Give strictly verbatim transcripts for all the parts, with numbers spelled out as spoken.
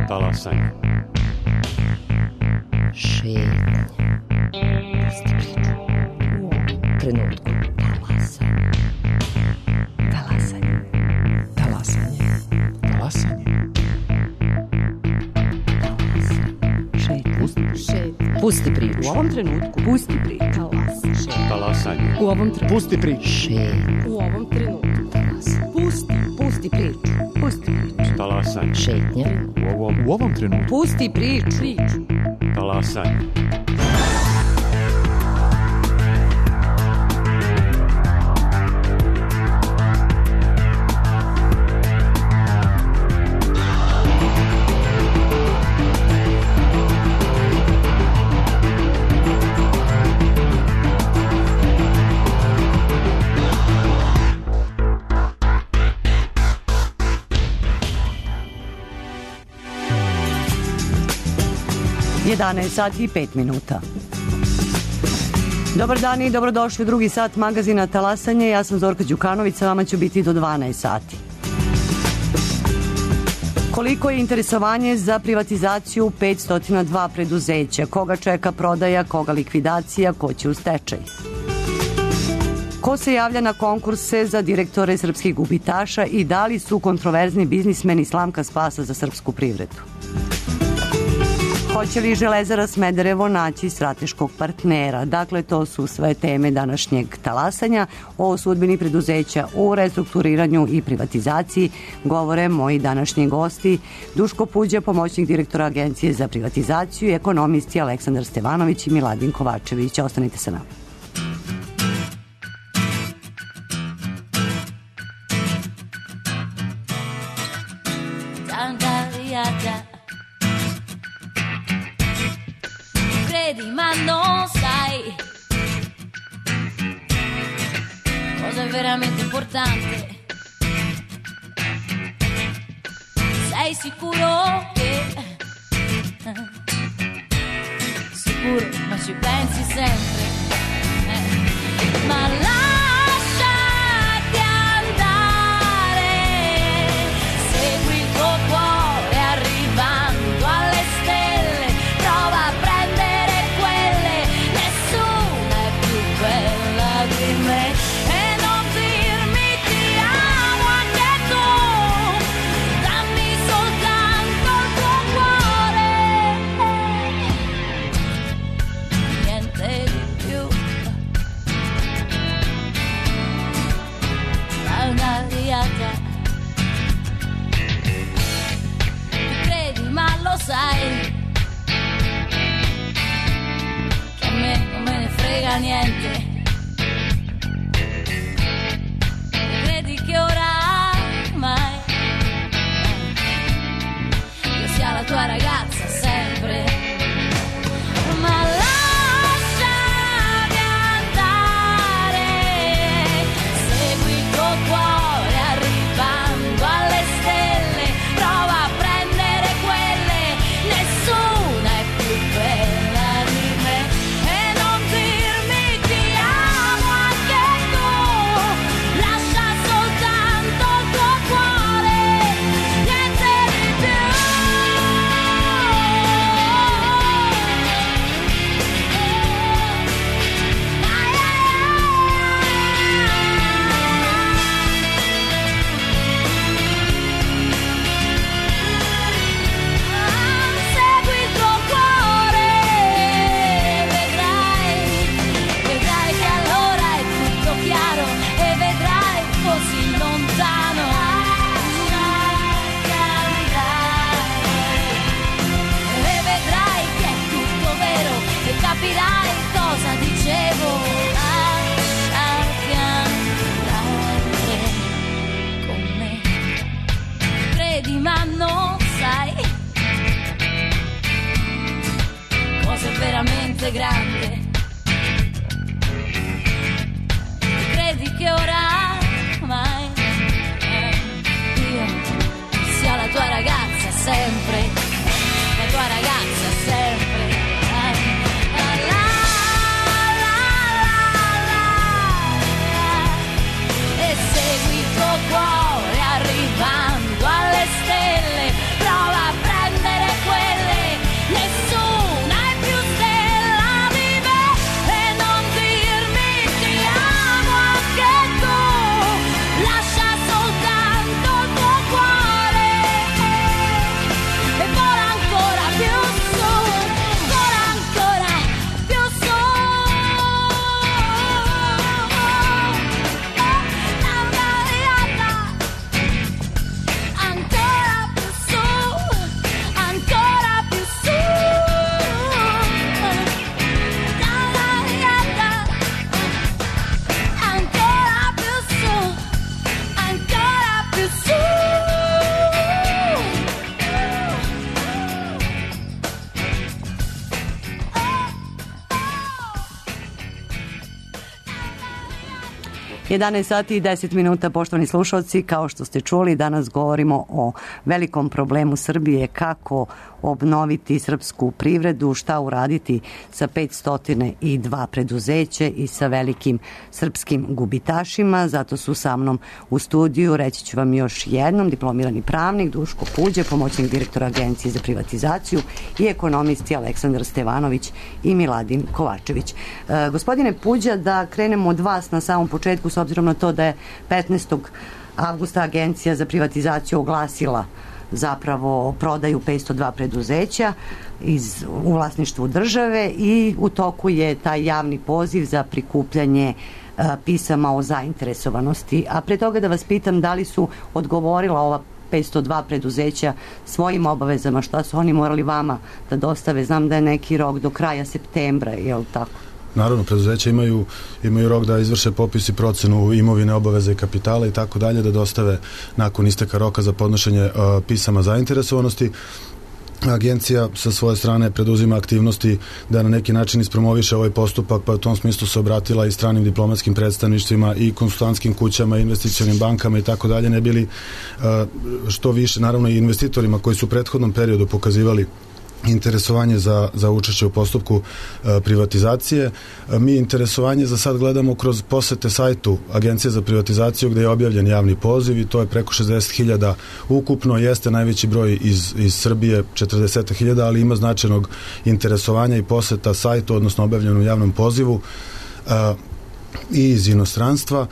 Talasanje. Šetnje. Pusti priču. U ovom trenutku. Talasanje. Talasanje. Talasanje. Talasanje. Šetnje. Šetnje. Pusti priču. U ovom trenutku. Pusti priču. Talasanje. Talasanje. U ovom trenutku. Pusti priču. Šetnje. U ovom trenutku. Talasanje. Pusti. Pusti priču. Pusti priču. Talasanje. Šetnje. U ovom, U ovom trenutku. Pusti priču. Priču. talasanje. jedanaest sati i pet minuta. Dobar dan i dobrodošli u drugi sat magazina Talasanje. Ja sam Zorka Đukanović, sa vama ću biti do dvanaest sati. Koliko je interesovanje za privatizaciju petsto dva preduzeća? Koga čeka prodaja, koga likvidacija, ko će u stečaj? Ko se javlja na konkurse za direktore srpskih gubitaša i da li su kontroverzni biznismeni slamka spasa za srpsku privredu? Hoće li Železara Smederevo naći strateškog partnera? Dakle, to su sve teme današnjeg talasanja. O sudbini preduzeća u restrukturiranju i privatizaciji govore moji današnji gosti. Duško Puđa, pomoćnik direktora Agencije za privatizaciju, i ekonomisti Aleksandar Stevanović i Miladin Kovačević. Ostanite sa nama. Ma non sai cosa è veramente importante. Sei sicuro che sicuro, ma ci pensi sempre, eh. Ma lasciati andare, segui il tuo cuore arrivando alle stelle, prova a prendere quelle, nessuna è più bella di me, e non dirmi ti amo anche tu, dammi soltanto il tuo cuore, niente di più. Una riata, tu credi ma lo sai che a me non me ne frega niente, credi che oramai io sia la tua ragazza sempre, ma lasciami andare, segui il tuo cuore arrivando alle stelle, prova a prendere quelle, nessuna è più bella di me, e non dirmi ti jedanaest sati i deset minuta, poštovani slušalci, kao što ste čuli, danas govorimo o velikom problemu Srbije, kako obnoviti srpsku privredu, šta uraditi sa petsto dva preduzeće i sa velikim srpskim gubitašima. Zato su sa mnom u studiju, reći ću vam još jednom, diplomirani pravnik Duško Puđa, pomoćnik direktora Agencije za privatizaciju, i ekonomisti Aleksandar Stevanović i Miladin Kovačević. E, gospodine Puđa, da krenemo od vas na samom početku, s obzirom na to da je petnaestog avgusta Agencija za privatizaciju oglasila zapravo prodaju petsto dva preduzeća iz, u vlasništvu države, i u toku je taj javni poziv za prikupljanje a, pisama o zainteresovanosti. A pre toga da vas pitam, da li su odgovorila ova petsto dva preduzeća svojim obavezama, šta su oni morali vama da dostave? Znam da je neki rok do kraja septembra, je li tako? Naravno, preduzeća imaju, imaju rok da izvrše popis i procenu imovine, obaveze i kapitala i tako dalje, da dostave nakon isteka roka za podnošenje uh, pisama zainteresovanosti. Agencija sa svoje strane preduzima aktivnosti da na neki način ispromoviše ovaj postupak, pa u tom smislu se obratila i stranim diplomatskim predstavništvima i konsultantskim kućama, investicionim bankama i tako dalje, ne bili uh, što više, naravno i investitorima koji su u prethodnom periodu pokazivali interesovanje za, za učešće u postupku e, privatizacije. E, mi interesovanje za sad gledamo kroz posete sajtu Agencije za privatizaciju, gde je objavljen javni poziv, i to je preko šezdeset hiljada ukupno, jeste najveći broj iz, iz Srbije, četrdeset hiljada, ali ima značajnog interesovanja i poseta sajtu, odnosno objavljenom javnom pozivu e, i iz inostranstva.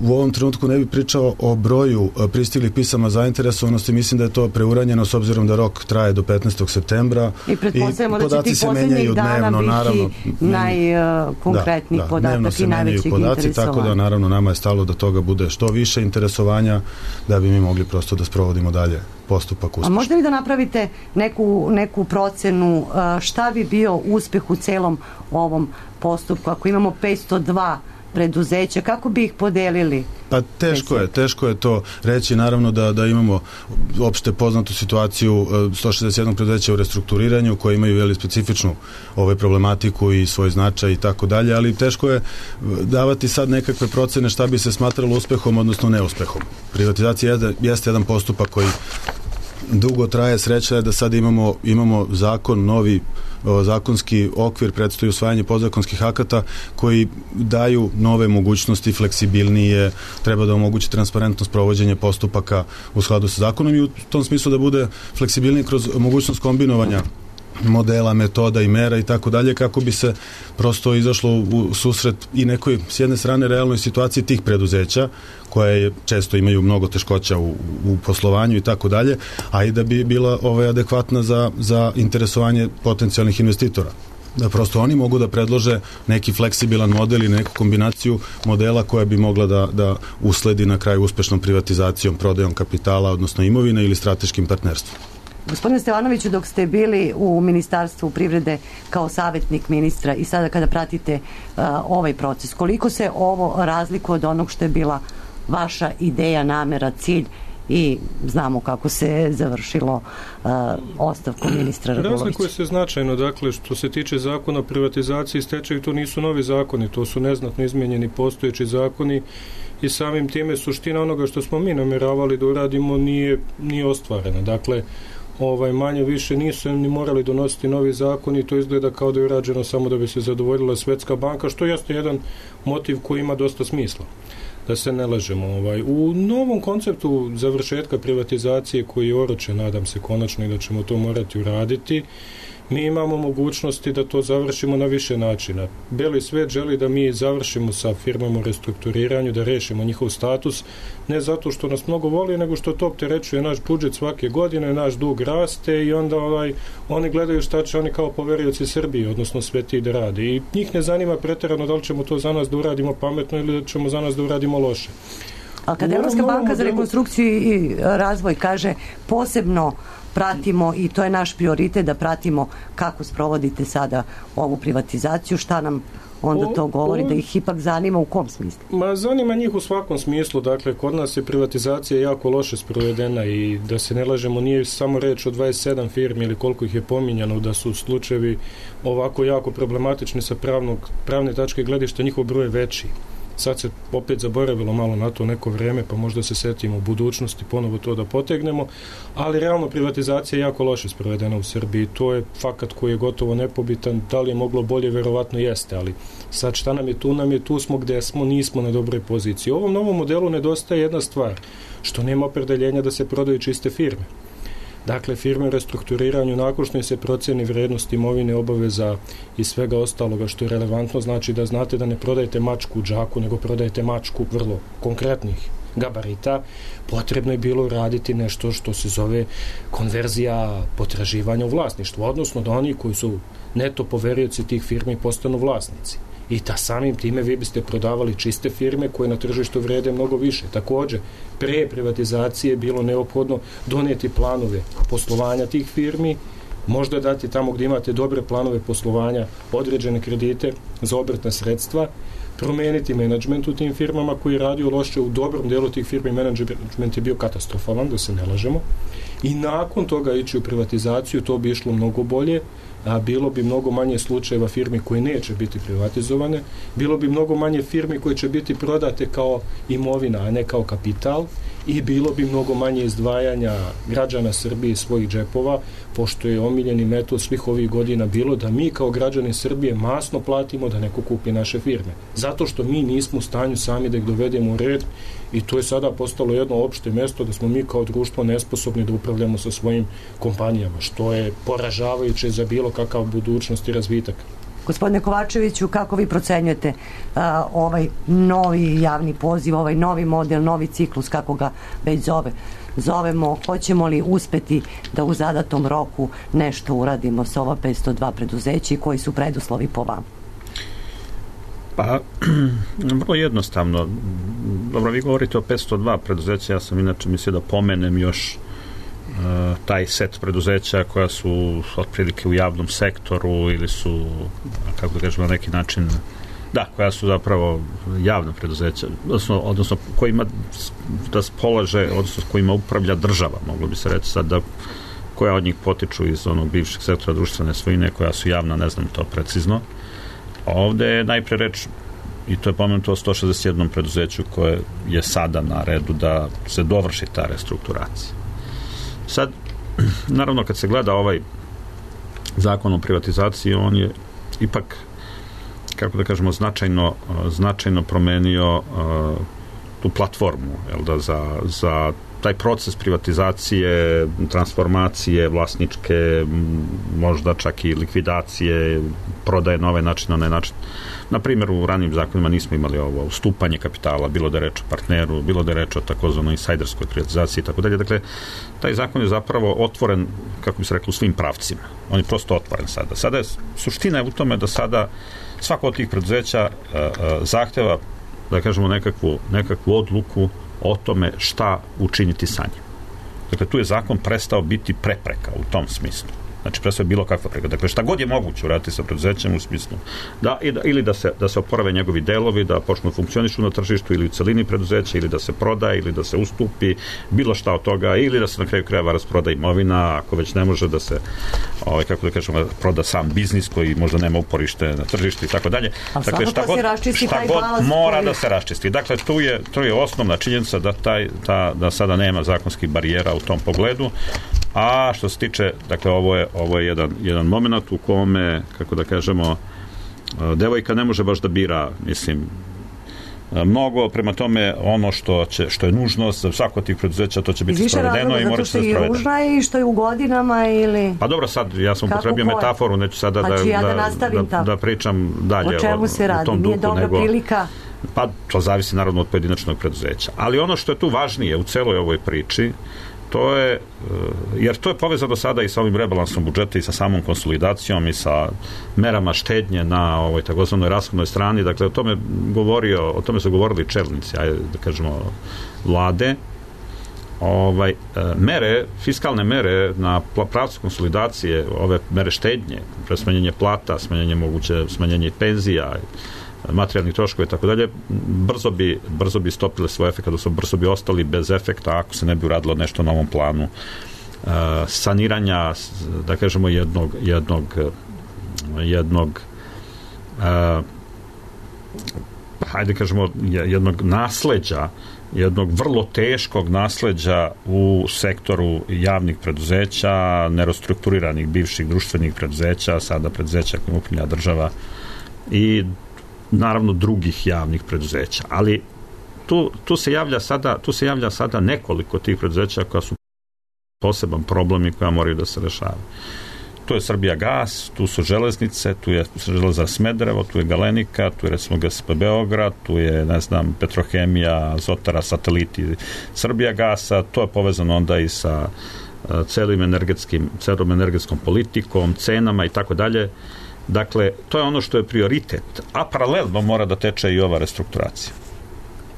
U ovom trenutku ne bih pričao o broju pristiglih pisama zainteresovanosti, mislim da je to preuranjeno s obzirom da rok traje do petnaestog septembra i pretpostavljamo da će tih poslednjih dana biti naravno, najkonkretnijih da, da, podatak i najvećeg podaci, interesovanja. Tako da naravno nama je stalo da toga bude što više interesovanja, da bi mi mogli prosto da sprovodimo dalje postupak uspešno. A možda li da napravite neku, neku procenu šta bi bio uspeh u celom ovom postupku ako imamo petsto dva preduzeća, kako bi ih podelili? Pa teško je, teško je to reći, naravno da, da imamo opšte poznatu situaciju sto šezdeset jedan preduzeća u restrukturiranju koje imaju veli specifičnu ovaj problematiku i svoj značaj i tako dalje, ali teško je davati sad nekakve procene šta bi se smatralo uspehom, odnosno neuspehom. Privatizacija je, jeste jedan postupak koji dugo traje. Sreća je da sad imamo, imamo zakon, novi o, zakonski okvir, predstoji usvajanje podzakonskih akata koji daju nove mogućnosti, fleksibilnije, treba da omogući transparentno sprovođenje postupaka u skladu sa zakonom i u tom smislu da bude fleksibilniji kroz mogućnost kombinovanja modela, metoda i mera i tako dalje, kako bi se prosto izašlo u susret i nekoj, s jedne strane, realnoj situaciji tih preduzeća, koje često imaju mnogo teškoća u, u poslovanju i tako dalje, a i da bi bila ovaj, adekvatna za, za interesovanje potencijalnih investitora. Da prosto oni mogu da predlože neki fleksibilan model i neku kombinaciju modela koja bi mogla da, da usledi na kraju uspešnom privatizacijom, prodajom kapitala, odnosno imovine ili strateškim partnerstvom. Gospodine Stevanoviću, dok ste bili u Ministarstvu privrede kao savjetnik ministra i sada kada pratite uh, ovaj proces, koliko se ovo razlikuje od onog što je bila vaša ideja, namera, cilj, i znamo kako se završilo uh, ostavkom ministra Radulovića? Razlikuje se značajno, dakle, što se tiče zakona o privatizaciji i stečaju, to nisu novi zakoni, to su neznatno izmenjeni postojeći zakoni i samim time suština onoga što smo mi namjeravali da uradimo nije, nije ostvarena. Dakle, ovaj, manje više nisu ni morali donositi novi zakon i to izgleda kao da je urađeno samo da bi se zadovoljila Svetska banka, što jeste jedan motiv koji ima dosta smisla, da se ne lažemo. Ovaj. U novom konceptu završetka privatizacije koji je oročen, nadam se konačno, i da ćemo to morati uraditi, mi imamo mogućnosti da to završimo na više načina. Beli svet želi da mi završimo sa firmama u restrukturiranju, da rešimo njihov status, ne zato što nas mnogo voli, nego što to opterećuje naš budžet svake godine, naš dug raste i onda ovaj, oni gledaju šta će oni kao poverioci Srbije, odnosno sveti da rade. I njih ne zanima preterano da li ćemo to za nas da uradimo pametno ili da ćemo za nas da uradimo loše. A kad Evropska banka za rekonstrukciju i razvoj kaže posebno pratimo, i to je naš prioritet, da pratimo kako sprovodite sada ovu privatizaciju, šta nam onda to govori, da ih ipak zanima u kom smislu? Ma zanima njih u svakom smislu, dakle kod nas je privatizacija jako loše sprovedena i da se ne lažemo, nije samo reč o dvadeset sedam firmi ili koliko ih je pominjano, da su slučajevi ovako jako problematični sa pravnog, pravne tačke gledišta, njihov broj je veći. sad se opet zaboravilo malo na to neko vreme, pa možda se setimo u budućnosti ponovo to da potegnemo, ali realno privatizacija je jako loše sprovedena u Srbiji, to je fakat koji je gotovo nepobitan, da li je moglo bolje, verovatno jeste, ali sad šta nam je tu, nam je tu smo gde smo, nismo na dobroj poziciji. U ovom novom modelu nedostaje jedna stvar, što nema opredeljenja da se prodaju čiste firme. Dakle, firme u restrukturiranju nakon što se proceni vrednost imovine, obaveza i svega ostaloga što je relevantno, znači da znate da ne prodajete mačku u džaku, nego prodajete mačku vrlo konkretnih gabarita, potrebno je bilo raditi nešto što se zove konverzija potraživanja u vlasništvu, odnosno da oni koji su neto poverioci tih firmi postanu vlasnici. I ta samim time vi biste prodavali čiste firme koje na tržištu vrede mnogo više. Također, pre privatizacije je bilo neophodno donijeti planove poslovanja tih firmi, možda dati tamo gdje imate dobre planove poslovanja određene kredite za obrtna sredstva, promeniti menadžment u tim firmama koji je radio loše. U dobrom delu tih firmi menadžment je bio katastrofalan, da se ne lažemo, i nakon toga ići u privatizaciju, to bi išlo mnogo bolje, a bilo bi mnogo manje slučajeva firmi koje neće biti privatizovane, bilo bi mnogo manje firmi koje će biti prodate kao imovina, a ne kao kapital, i bilo bi mnogo manje izdvajanja građana Srbije iz svojih džepova, pošto je omiljeni metod svih ovih godina bilo da mi kao građani Srbije masno platimo da neko kupi naše firme. Zato što mi nismo u stanju sami da ih dovedemo u red, i to je sada postalo jedno opšte mesto da smo mi kao društvo nesposobni da upravljamo sa svojim kompanijama, što je poražavajuće za bilo kakav budućnost i razvitak. Gospodine Kovačeviću, kako vi procenjujete a, ovaj novi javni poziv, ovaj novi model, novi ciklus, kako ga već zove, zovemo, hoćemo li uspeti da u zadatom roku nešto uradimo sa ova petsto dva preduzeća i koji su preduslovi po vama? Pa, vrlo jednostavno. Dobro, vi govorite o petsto dva preduzeća, ja sam inače mislio da pomenem još uh, taj set preduzeća koja su otprilike u javnom sektoru ili su, kako da kažemo, na neki način, da, koja su zapravo javna preduzeća, odnosno, odnosno kojima raspolaže, odnosno kojima upravlja država, moglo bi se reći sad, da koja od njih potiču iz onog bivšeg sektora društvene svojine, koja su javna, ne znam to precizno. Ovde je najpre reč, i to je pomenuto o sto šezdeset jednom preduzeću koje je sada na redu da se dovrši ta restrukturacija. Sad, naravno, kad se gleda ovaj zakon o privatizaciji, on je ipak, kako da kažemo, značajno, značajno promenio uh, tu platformu, jel da, za, za taj proces privatizacije, transformacije vlasničke, možda čak i likvidacije, prodaje na ovaj način, na onaj način. Na primjer, u ranijim zakonima nismo imali ovo ustupanje kapitala, bilo da je reč o partneru, bilo da je reč o takozvanoj insajderskoj privatizaciji i tako dalje. Dakle, taj zakon je zapravo otvoren, kako bi se reklo, u svim pravcima. On je prosto otvoren sada. Sada je, suština je u tome da sada svako od tih preduzeća uh, uh, zahteva, da kažemo, nekakvu, nekakvu odluku o tome šta učiniti sa njim. Dakle, tu je zakon prestao biti prepreka u tom smislu. Znači, prestao je bilo kakva prepreka. Dakle, šta god je moguće uraditi sa preduzećem u smislu da, ili da se, da se oporave njegovi delovi, da počnu funkcionišu na tržištu ili u celini preduzeća, ili da se prodaje, ili da se ustupi, bilo šta od toga, ili da se na kraju krajeva rasproda imovina, ako već ne može da se, ovaj, kako da kažemo, proda sam biznis koji možda nema uporište na tržištu i tako dalje. Dakle, šta god, šta god mora koji... da se raščisti. Dakle, tu je, tu je osnovna činjenica da, taj, ta, da sada nema zakonskih barijera u tom pogledu. A što se tiče, dakle, ovo je, ovo je jedan, jedan moment u kome, kako da kažemo, devojka ne može baš da bira, mislim, mnogo, prema tome ono što, će, što je nužno za svako od tih preduzeća, to će biti sprovedeno i mora se da sprovedeno. Zato što je ružna i što je u godinama ili... Pa dobro, sad, ja sam upotrebio metaforu, neću sada pa da, ja da, da, da, da pričam dalje o čemu se radi, u tom nije duhu, dobra nego, prilika. Pa to zavisi naravno od pojedinačnog preduzeća. Ali ono što je tu važnije u celoj ovoj priči, to je, jer to je povezano sada i sa ovim rebalansom budžeta i sa samom konsolidacijom i sa merama štednje na ovoj takozvanoj rashodnoj strani. Dakle, o tome govorio, o tome su govorili čelnici, ajde da kažemo, vlade. Ovaj, mere, fiskalne mere na pravcu konsolidacije, ove mere štednje, pre smanjenje plata, smanjenje moguće, smanjenje penzija, materijalnih troškova i tako dalje, brzo bi, brzo bi stopile svoj efekt, odnosno brzo bi ostali bez efekta ako se ne bi uradilo nešto na ovom planu uh, saniranja, da kažemo, jednog jednog jednog uh, hajde kažemo, jednog nasleđa, jednog vrlo teškog nasleđa u sektoru javnih preduzeća, nerestrukturiranih bivših društvenih preduzeća, sada preduzeća kojim upravlja država i naravno drugih javnih preduzeća. Ali tu, tu, se javlja sada, tu se javlja sada nekoliko tih preduzeća koja su poseban problem i koja moraju da se rešavaju. Tu je Srbijagas, tu su železnice, tu je Železara Smederevo, tu je Galenika, tu je recimo G S P Beograd, tu je, ne znam, Petrohemija, Azotara, Sateliti Srbijagasa, to je povezano onda i sa uh, celim energetskim, celom energetskom politikom, cenama i tako dalje. Dakle, to je ono što je prioritet, a paralelno mora da teče i ova restrukturacija.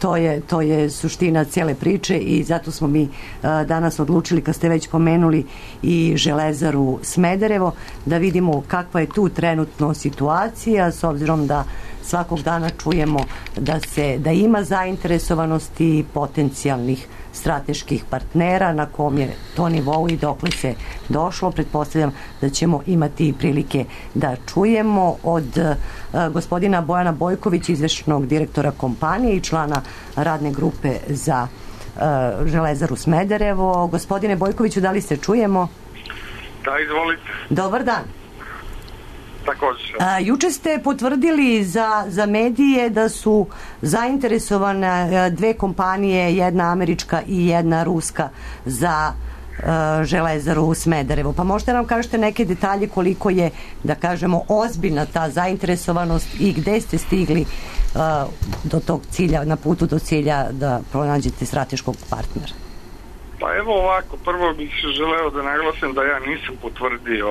To je, to je suština cijele priče i zato smo mi a, danas odlučili, kad ste već pomenuli i Železaru Smederevo, da vidimo kakva je tu trenutno situacija, s obzirom da svakog dana čujemo da se da ima zainteresovanosti potencijalnih strateških partnera, na kom je to nivou i dokle se došlo. Pretpostavljam da ćemo imati prilike da čujemo od uh, gospodina Bojana Bojkovića, izvršnog direktora kompanije i člana radne grupe za uh, Železaru Smederevo. Gospodine Bojkoviću, da li se čujemo? Da, izvolite. Dobar dan. Također. A, juče ste potvrdili za, za medije da su zainteresovane dve kompanije, jedna američka i jedna ruska, za a, Železaru Smederevo. Pa možete nam kažete neke detalje koliko je, da kažemo, ozbiljna ta zainteresovanost i gde ste stigli a, do tog cilja, na putu do cilja da pronađete strateškog partnera? Pa evo ovako, prvo bih želeo da naglasim da ja nisam potvrdio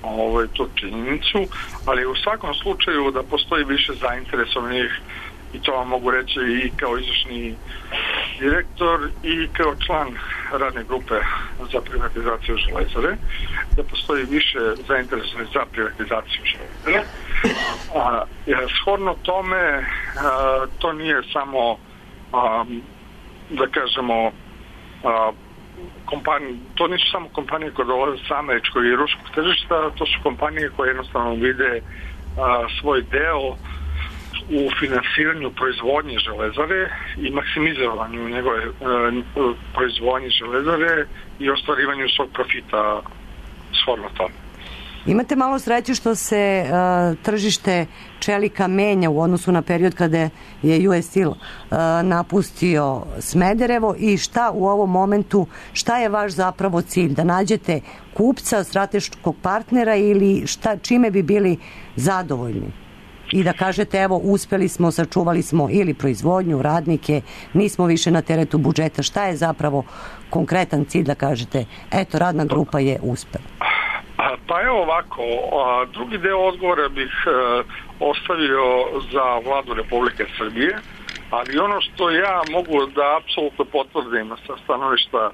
ovo, tu činjenicu, ali u svakom slučaju da postoji više zainteresovanih, i to vam mogu reći i kao izvršni direktor i kao član radne grupe za privatizaciju Železare, da postoji više zainteresovanih za privatizaciju Železare. A, shodno tome, a, to nije samo, a, da kažemo, a, kompanije, to nisu samo kompanije koje dolaze sa američkog i ruskog tržišta, to su kompanije koje jednostavno vide a, svoj deo u finansiranju proizvodnje Železare i maksimizovanju njegove a, proizvodnje Železare i ostvarivanju svog profita shodno tome. Imate malo sreće što se uh, tržište čelika menja u odnosu na period kada je U S Steel uh, napustio Smederevo i šta u ovom momentu, šta je vaš zapravo cilj? Da nađete kupca, strateškog partnera ili šta, čime bi bili zadovoljni? I da kažete, evo, uspeli smo, sačuvali smo ili proizvodnju, radnike, nismo više na teretu budžeta. Šta je zapravo konkretan cilj da kažete, eto, radna grupa je uspela? Pa evo ovako, drugi deo odgovora bih ostavio za vladu Republike Srbije, ali ono što ja mogu da apsolutno potvrdim sa stanovišta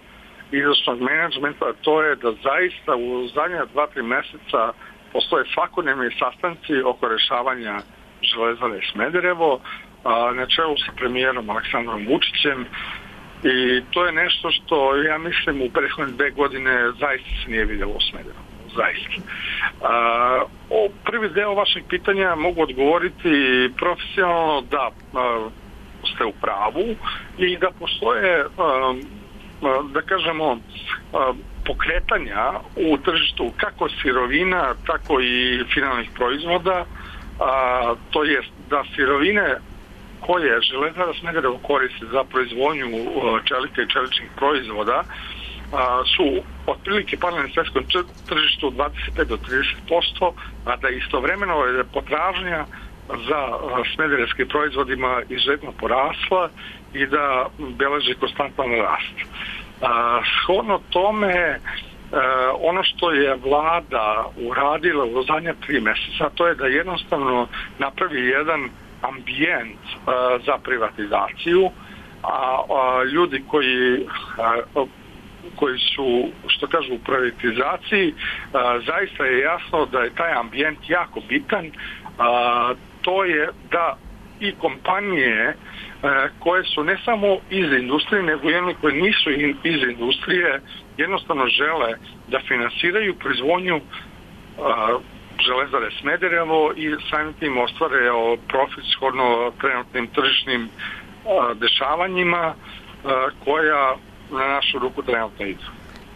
izvršnog menadžmenta, to je da zaista u zadnja dva, tri meseca postoje svakodnevni sastanci oko rešavanja Železare Smederevo na čelu sa premijerom Aleksandrom Vučićem, i to je nešto što ja mislim u prethodne dve godine zaista se nije vidjelo u Smederevu. Zaista. A, o prvi deo vašeg pitanja mogu odgovoriti profesionalno da a, ste u pravu i da postoje, a, a, da kažemo, a, pokretanja u tržištu kako sirovina, tako i finalnih proizvoda, a, to jest da sirovine koje Železara Smederevo koristi za proizvodnju čelika i čeličnih proizvoda su otprilike pale na svetskom tržištu dvadeset pet do trideset posto, a da istovremeno je potražnja za smederevskim proizvodima izuzetno porasla i da beleži konstantan rast. Shodno tome, ono što je vlada uradila u zadnja tri meseca, to je da jednostavno napravi jedan ambijent za privatizaciju, a ljudi koji koji su, što kažu, u privatizaciji, a, zaista je jasno da je taj ambijent jako bitan. A, to je da i kompanije a, koje su ne samo iz industrije, nego i one koje nisu iz industrije, jednostavno žele da finansiraju proizvodnju a, Železare Smederevo i samim tim ostvare profit shodno trenutnim tržišnim a, dešavanjima a, koja na našu ruku trenutno idu.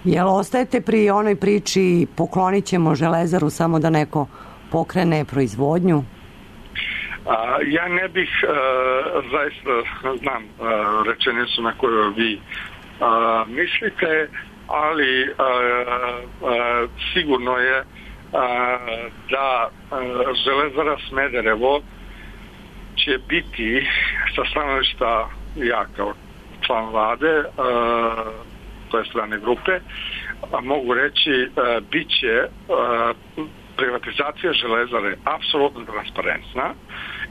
Jel ostajete pri onoj priči poklonit ćemo Železaru samo da neko pokrene proizvodnju? A, ja ne bih a, zaista znam a, rečenicu na koju vi a, mislite, ali a, a, sigurno je a, da a, Železara Smederevo će biti sa stanovišta ja kao član vlade a, to je strane grupe, a mogu reći a, bit će a, privatizacija Železare apsolutno transparentna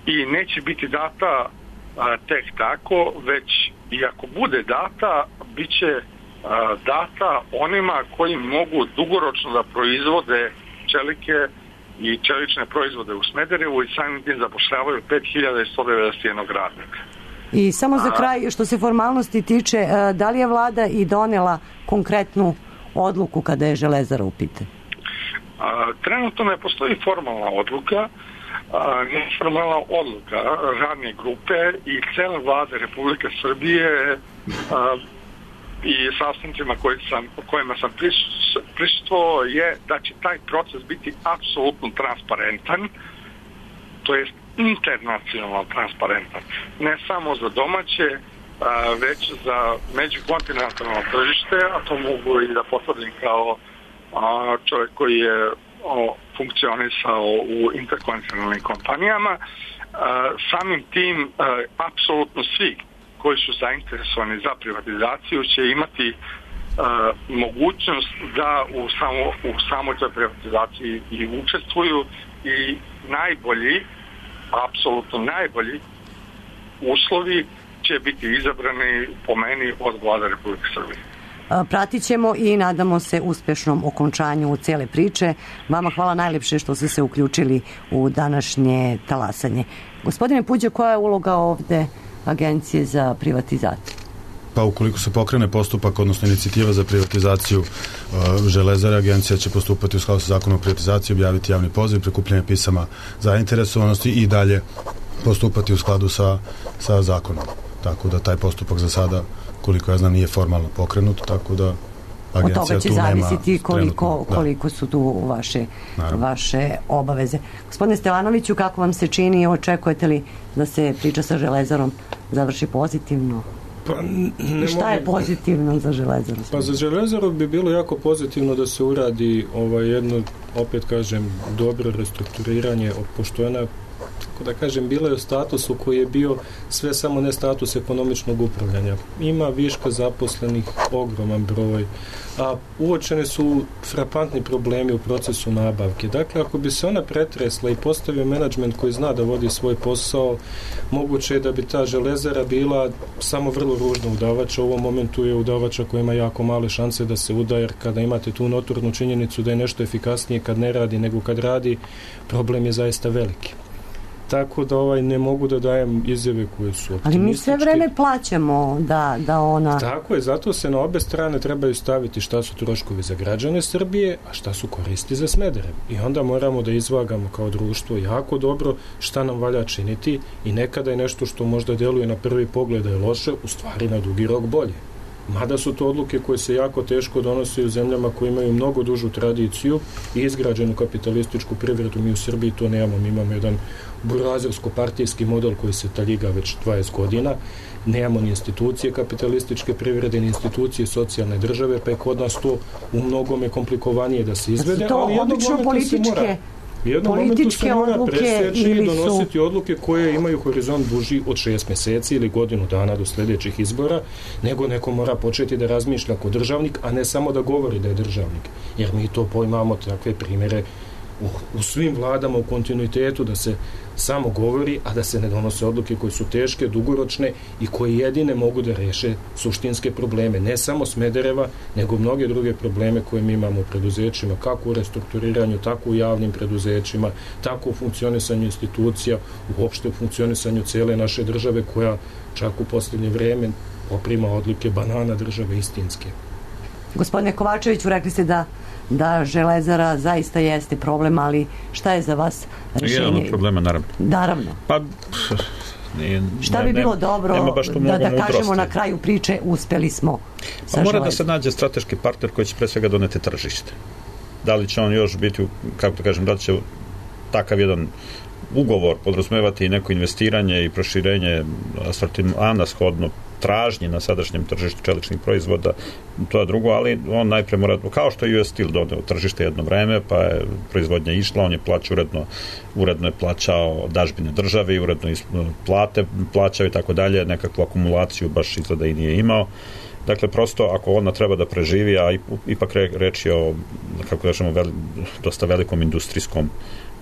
i neće biti data a, tek tako, već i ako bude data, bit će a, data onima koji mogu dugoročno da proizvode čelike i čelične proizvode u Smederevu i samim tim zapošljavaju pet hiljada sto devedeset jedan radnika. I samo za kraj, što se formalnosti tiče, da li je vlada i donela konkretnu odluku kada je Železara u pitanju? A, trenutno ne postoji formalna odluka, a, neformalna odluka radne grupe i cele vlade Republike Srbije a, i sastancima koji sam, kojima sam prisustvovao je da će taj proces biti apsolutno transparentan, to jest internacionalno transparentan. Ne samo za domaće, a, već za međukontinentalno tržište, a to mogu i da potvrdim kao a, čovjek koji je o, funkcionisao u interkontinentalnim kompanijama. A, samim tim a, apsolutno svi koji su zainteresovani za privatizaciju će imati a, mogućnost da u, samo, u samoj toj privatizaciji i učestvuju i najbolji, apsolutno najbolji uslovi će biti izabrani po meni od vlade Republike Srbije. Pratit ćemo i nadamo se uspešnom okončanju cele priče. Vama hvala najlepše što ste se uključili u današnje talasanje. Gospodine Puđe, koja je uloga ovde Agencije za privatizaciju? Pa ukoliko se pokrene postupak, odnosno inicijativa za privatizaciju uh, Železare, agencija će postupati u skladu sa zakonom o privatizaciji, objaviti javni poziv, prikupljanje pisama zainteresovanosti i dalje postupati u skladu sa, sa zakonom. Tako da taj postupak za sada, koliko ja znam, nije formalno pokrenut, tako da agencija od toga će tu zavisiti koliko, trenutno, da. koliko su tu vaše, vaše obaveze. Gospodine Stevanoviću, kako vam se čini, očekujete li da se priča sa Železarom završi pozitivno? Pa, ne šta je pozitivno za Železaru? Pa za Železaru bi bilo jako pozitivno da se uradi ovaj jedno, opet kažem, dobro restrukturiranje, pošto ona, tako da kažem, bila je u statusu koji je bio sve samo ne status ekonomičnog upravljanja. Ima viška zaposlenih, ogroman broj, a uočene su frapantni problemi u procesu nabavke. Dakle, ako bi se ona pretresla i postavio menadžment koji zna da vodi svoj posao, moguće je da bi ta Železara bila samo vrlo ružna udavača. U ovom momentu je udavača koja ima jako male šanse da se uda, jer kada imate tu notornu činjenicu da je nešto efikasnije kad ne radi nego kad radi, problem je zaista veliki. Tako da ovaj ne mogu da dajem izjave koje su optimističke. Ali mi sve vreme plaćamo da, da ona... Tako je, zato se na obe strane trebaju staviti šta su troškovi za građane Srbije, a šta su koristi za Smederevo. I onda moramo da izvagamo kao društvo jako dobro šta nam valja činiti i nekada je nešto što možda deluje na prvi pogled da je loše, u stvari na dugi rok bolje. Mada su to odluke koje se jako teško donose u zemljama koje imaju mnogo dužu tradiciju i izgrađenu kapitalističku privredu. Mi u Srbiji to nemamo, mi imamo jedan burazersko-partijski model koji se taljiga već dvadeset godina, nemamo ni institucije kapitalističke privrede, ni institucije socijalne države, pa je kod nas to u mnogome komplikovanije da se izvede, to ali jednog momenta se mora... U jednom momentu se mora preseći i donositi su... odluke koje imaju horizont duži od šest meseci ili godinu dana do sljedećih izbora, nego neko mora početi da razmišlja kao državnik, a ne samo da govori da je državnik. Jer mi to pojmamo takve primjere u, u svim vladama u kontinuitetu, da se samo govori, a da se ne donose odluke koje su teške, dugoročne i koje jedine mogu da reše suštinske probleme, ne samo Smedereva, nego mnoge druge probleme koje mi imamo u preduzećima, kako u restrukturiranju, tako u javnim preduzećima, tako u funkcionisanju institucija, uopšte u funkcionisanju cele naše države, koja čak u posljednje vreme poprima odlike banana države istinske. Gospodine Kovačeviću, rekli ste da da Železara zaista jeste problem, ali šta je za vas rešenje? Jedan od problema, naravno. Naravno. Pa, nije, šta bi ne, bilo dobro da, da kažemo na kraju priče uspeli smo sa pa mora Železarom? da se nađe strateški partner koji će pre svega doneti tržište. Da li će on još biti, kako da kažem, da li će takav jedan ugovor podrazumevati i neko investiranje i proširenje asortimana shodno tražnji na sadašnjem tržištu čeličnih proizvoda, to je drugo, ali on najpre mora, kao što je U S Steel doneo tržište jedno vreme, pa je proizvodnja išla, on je plaćao uredno, uredno je plaćao dažbine državi, uredno plate plaćao i tako dalje, nekakvu akumulaciju baš izgleda i nije imao. Dakle, prosto, ako ona treba da preživi, a ipak reč je o, kako kažemo, veli, dosta velikom industrijskom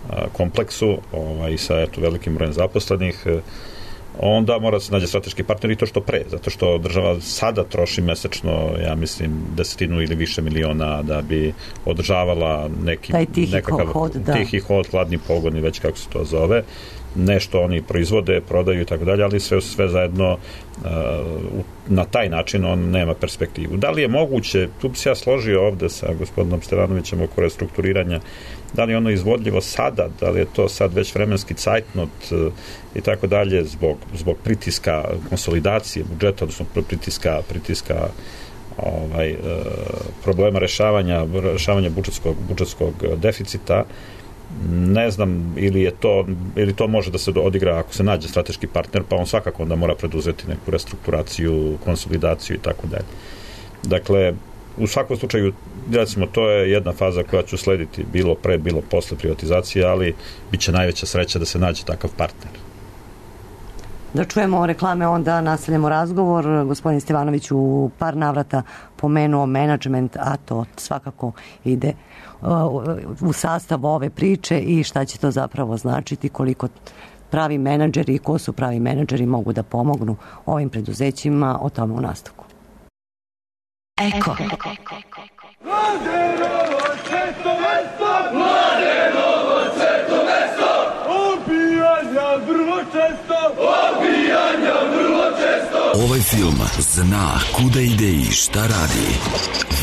a, kompleksu, ovaj, sa eto, velikim brojem zaposlenih, onda mora da se nađe strateški partner i to što pre, zato što država sada troši mesečno, ja mislim, desetinu ili više miliona da bi održavala neki taj tihi nekakav hod, da. tihi hod, hladni pogon i već kako se to zove. Nešto oni proizvode, prodaju i tako dalje, ali sve sve zajedno uh, na taj način on nema perspektivu. Da li je moguće, tu bi se ja složio ovde sa gospodinom Stevanovićem oko restrukturiranja, da li je ono izvodljivo sada, da li je to sad već vremenski cajtnot uh, i tako dalje, zbog, zbog pritiska konsolidacije budžeta, odnosno pritiska, pritiska ovaj, uh, problema rešavanja, rešavanja budžetskog, budžetskog deficita. Ne znam, ili je to ili to može da se odigra ako se nađe strateški partner, pa on svakako onda mora preduzeti neku restrukturaciju, konsolidaciju i tako dalje. Dakle, u svakom slučaju, recimo, to je jedna faza koja će slediti bilo pre, bilo posle privatizacije, ali bit će najveća sreća da se nađe takav partner. Da čujemo reklame, onda nastavljamo razgovor. Gospodin Stevanović u par navrata pomenuo menadžment, a to svakako ide u sastav ove priče i šta će to zapravo značiti, koliko pravi menadžeri i ko su pravi menadžeri mogu da pomognu ovim preduzećima, o tome u nastavku. Eko. Mladenovo sveto mesto! Mladenovo sveto mesto! Obijanja vrlo često! Obijanja vrlo često! Ovaj film zna kuda ide i šta radi.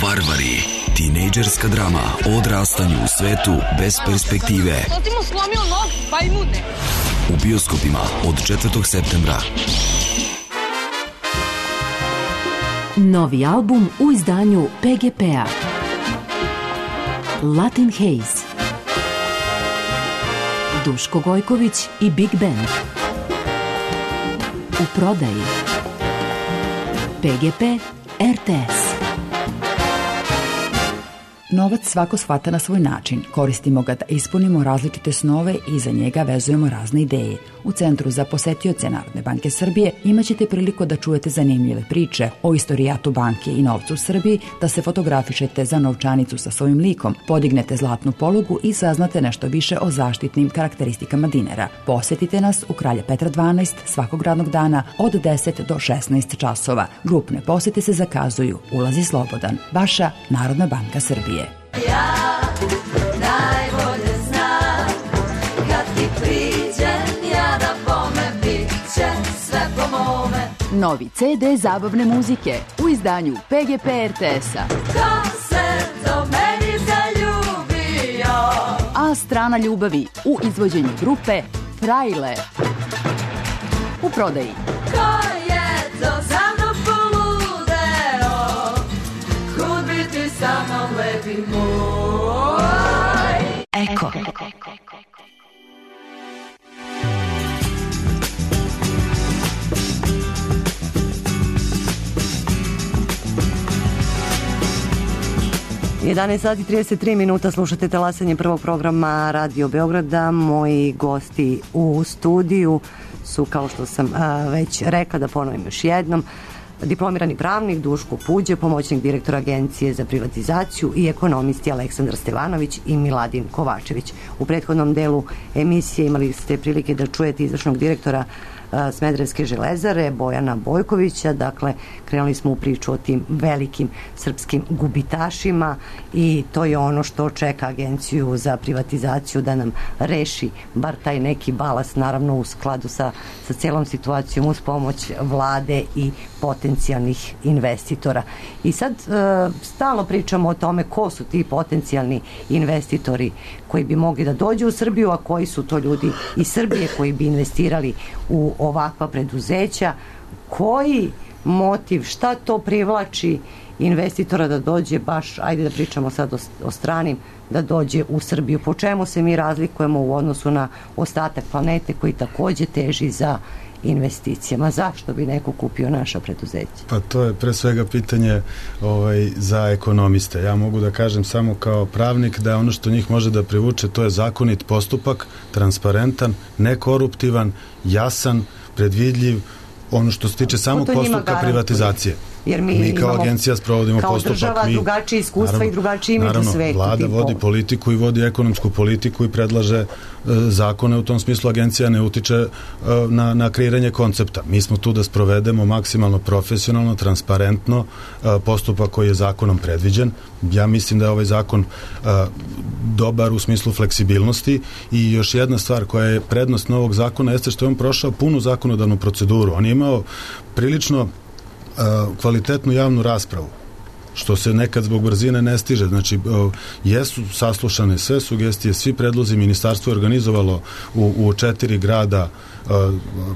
Varvari. Tinejdžerska drama o odrastanju u svetu bez perspektive. To ti mu slomio nogu, bajmude. U bioskopima od četvrtog septembra. Novi album u izdanju P G P-a. Latin Haze. Duško Gojković i Big Band. U prodaji. P G P R T S. Novac svako shvata na svoj način. Koristimo ga da ispunimo različite snove i za njega vezujemo razne ideje. U Centru za posetioce Narodne banke Srbije imaćete priliku da čujete zanimljive priče o istorijatu banke i novcu u Srbiji, da se fotografišete za novčanicu sa svojim likom, podignete zlatnu polugu i saznate nešto više o zaštitnim karakteristikama dinara. Posetite nas u Kralja Petra dvanaest svakog radnog dana od deset do šesnaest časova. Grupne posete se zakazuju. Ulaz je slobodan. Vaša Narodna banka Srbije. Ja najbolje znam kad ti priđem ja da bome bit će sve po mome. Novi C D zabavne muzike u izdanju P G P R T S-a. Ko se do meni zaljubio? A strana ljubavi u izvođenju grupe Frajle. U prodaji. Ko je to za mnom poludeo? Kud bi ti sa mnom lepi moj? Eko. jedanaest sati trideset tri minuta, slušate talasanje prvog programa Radio Beograda. Moji gosti u studiju su, kao što sam a, već rekla, da ponovim još jednom, diplomirani pravnik Duško Puđe, pomoćnik direktora Agencije za privatizaciju i ekonomisti Aleksandar Stevanović i Miladin Kovačević. U prethodnom delu emisije imali ste prilike da čujete izvršnog direktora Smederevske železare, Bojana Bojkovića. Dakle, krenuli smo u priču o tim velikim srpskim gubitašima i to je ono što čeka Agenciju za privatizaciju da nam reši bar taj neki balast, naravno u skladu sa, sa celom situacijom uz pomoć vlade i potencijalnih investitora. I sad e, stalno pričamo o tome ko su ti potencijalni investitori koji bi mogli da dođu u Srbiju, a koji su to ljudi iz Srbije koji bi investirali u ovakva preduzeća. Koji motiv, šta to privlači investitora da dođe baš, ajde da pričamo sad o, o stranim, da dođe u Srbiju? Po čemu se mi razlikujemo u odnosu na ostatak planete koji takođe teži za investicijama? Zašto bi neko kupio naša preduzeća? Pa to je pre svega pitanje ovaj, za ekonomiste. Ja mogu da kažem samo kao pravnik da ono što njih može da privuče to je zakonit postupak, transparentan, nekoruptivan, jasan, predvidljiv, ono što se tiče samog postupka privatizacije. Jer mi, mi kao imamo, agencija sprovodimo kao postupak. Država mi, drugačije iskustva naravno, i drugačije imidž u svetu. Vlada vodi politiku i vodi ekonomsku politiku i predlaže e, zakone. U tom smislu agencija ne utiče e, na, na kreiranje koncepta. Mi smo tu da sprovedemo maksimalno profesionalno, transparentno e, postupak koji je zakonom predviđen. Ja mislim da je ovaj zakon e, dobar u smislu fleksibilnosti i još jedna stvar koja je prednost novog zakona jeste što je on prošao punu zakonodavnu proceduru. On je imao prilično kvalitetnu javnu raspravu, što se nekad zbog brzine ne stiže. Znači, jesu saslušane sve sugestije, svi predlozi, ministarstvo je organizovalo u, u četiri grada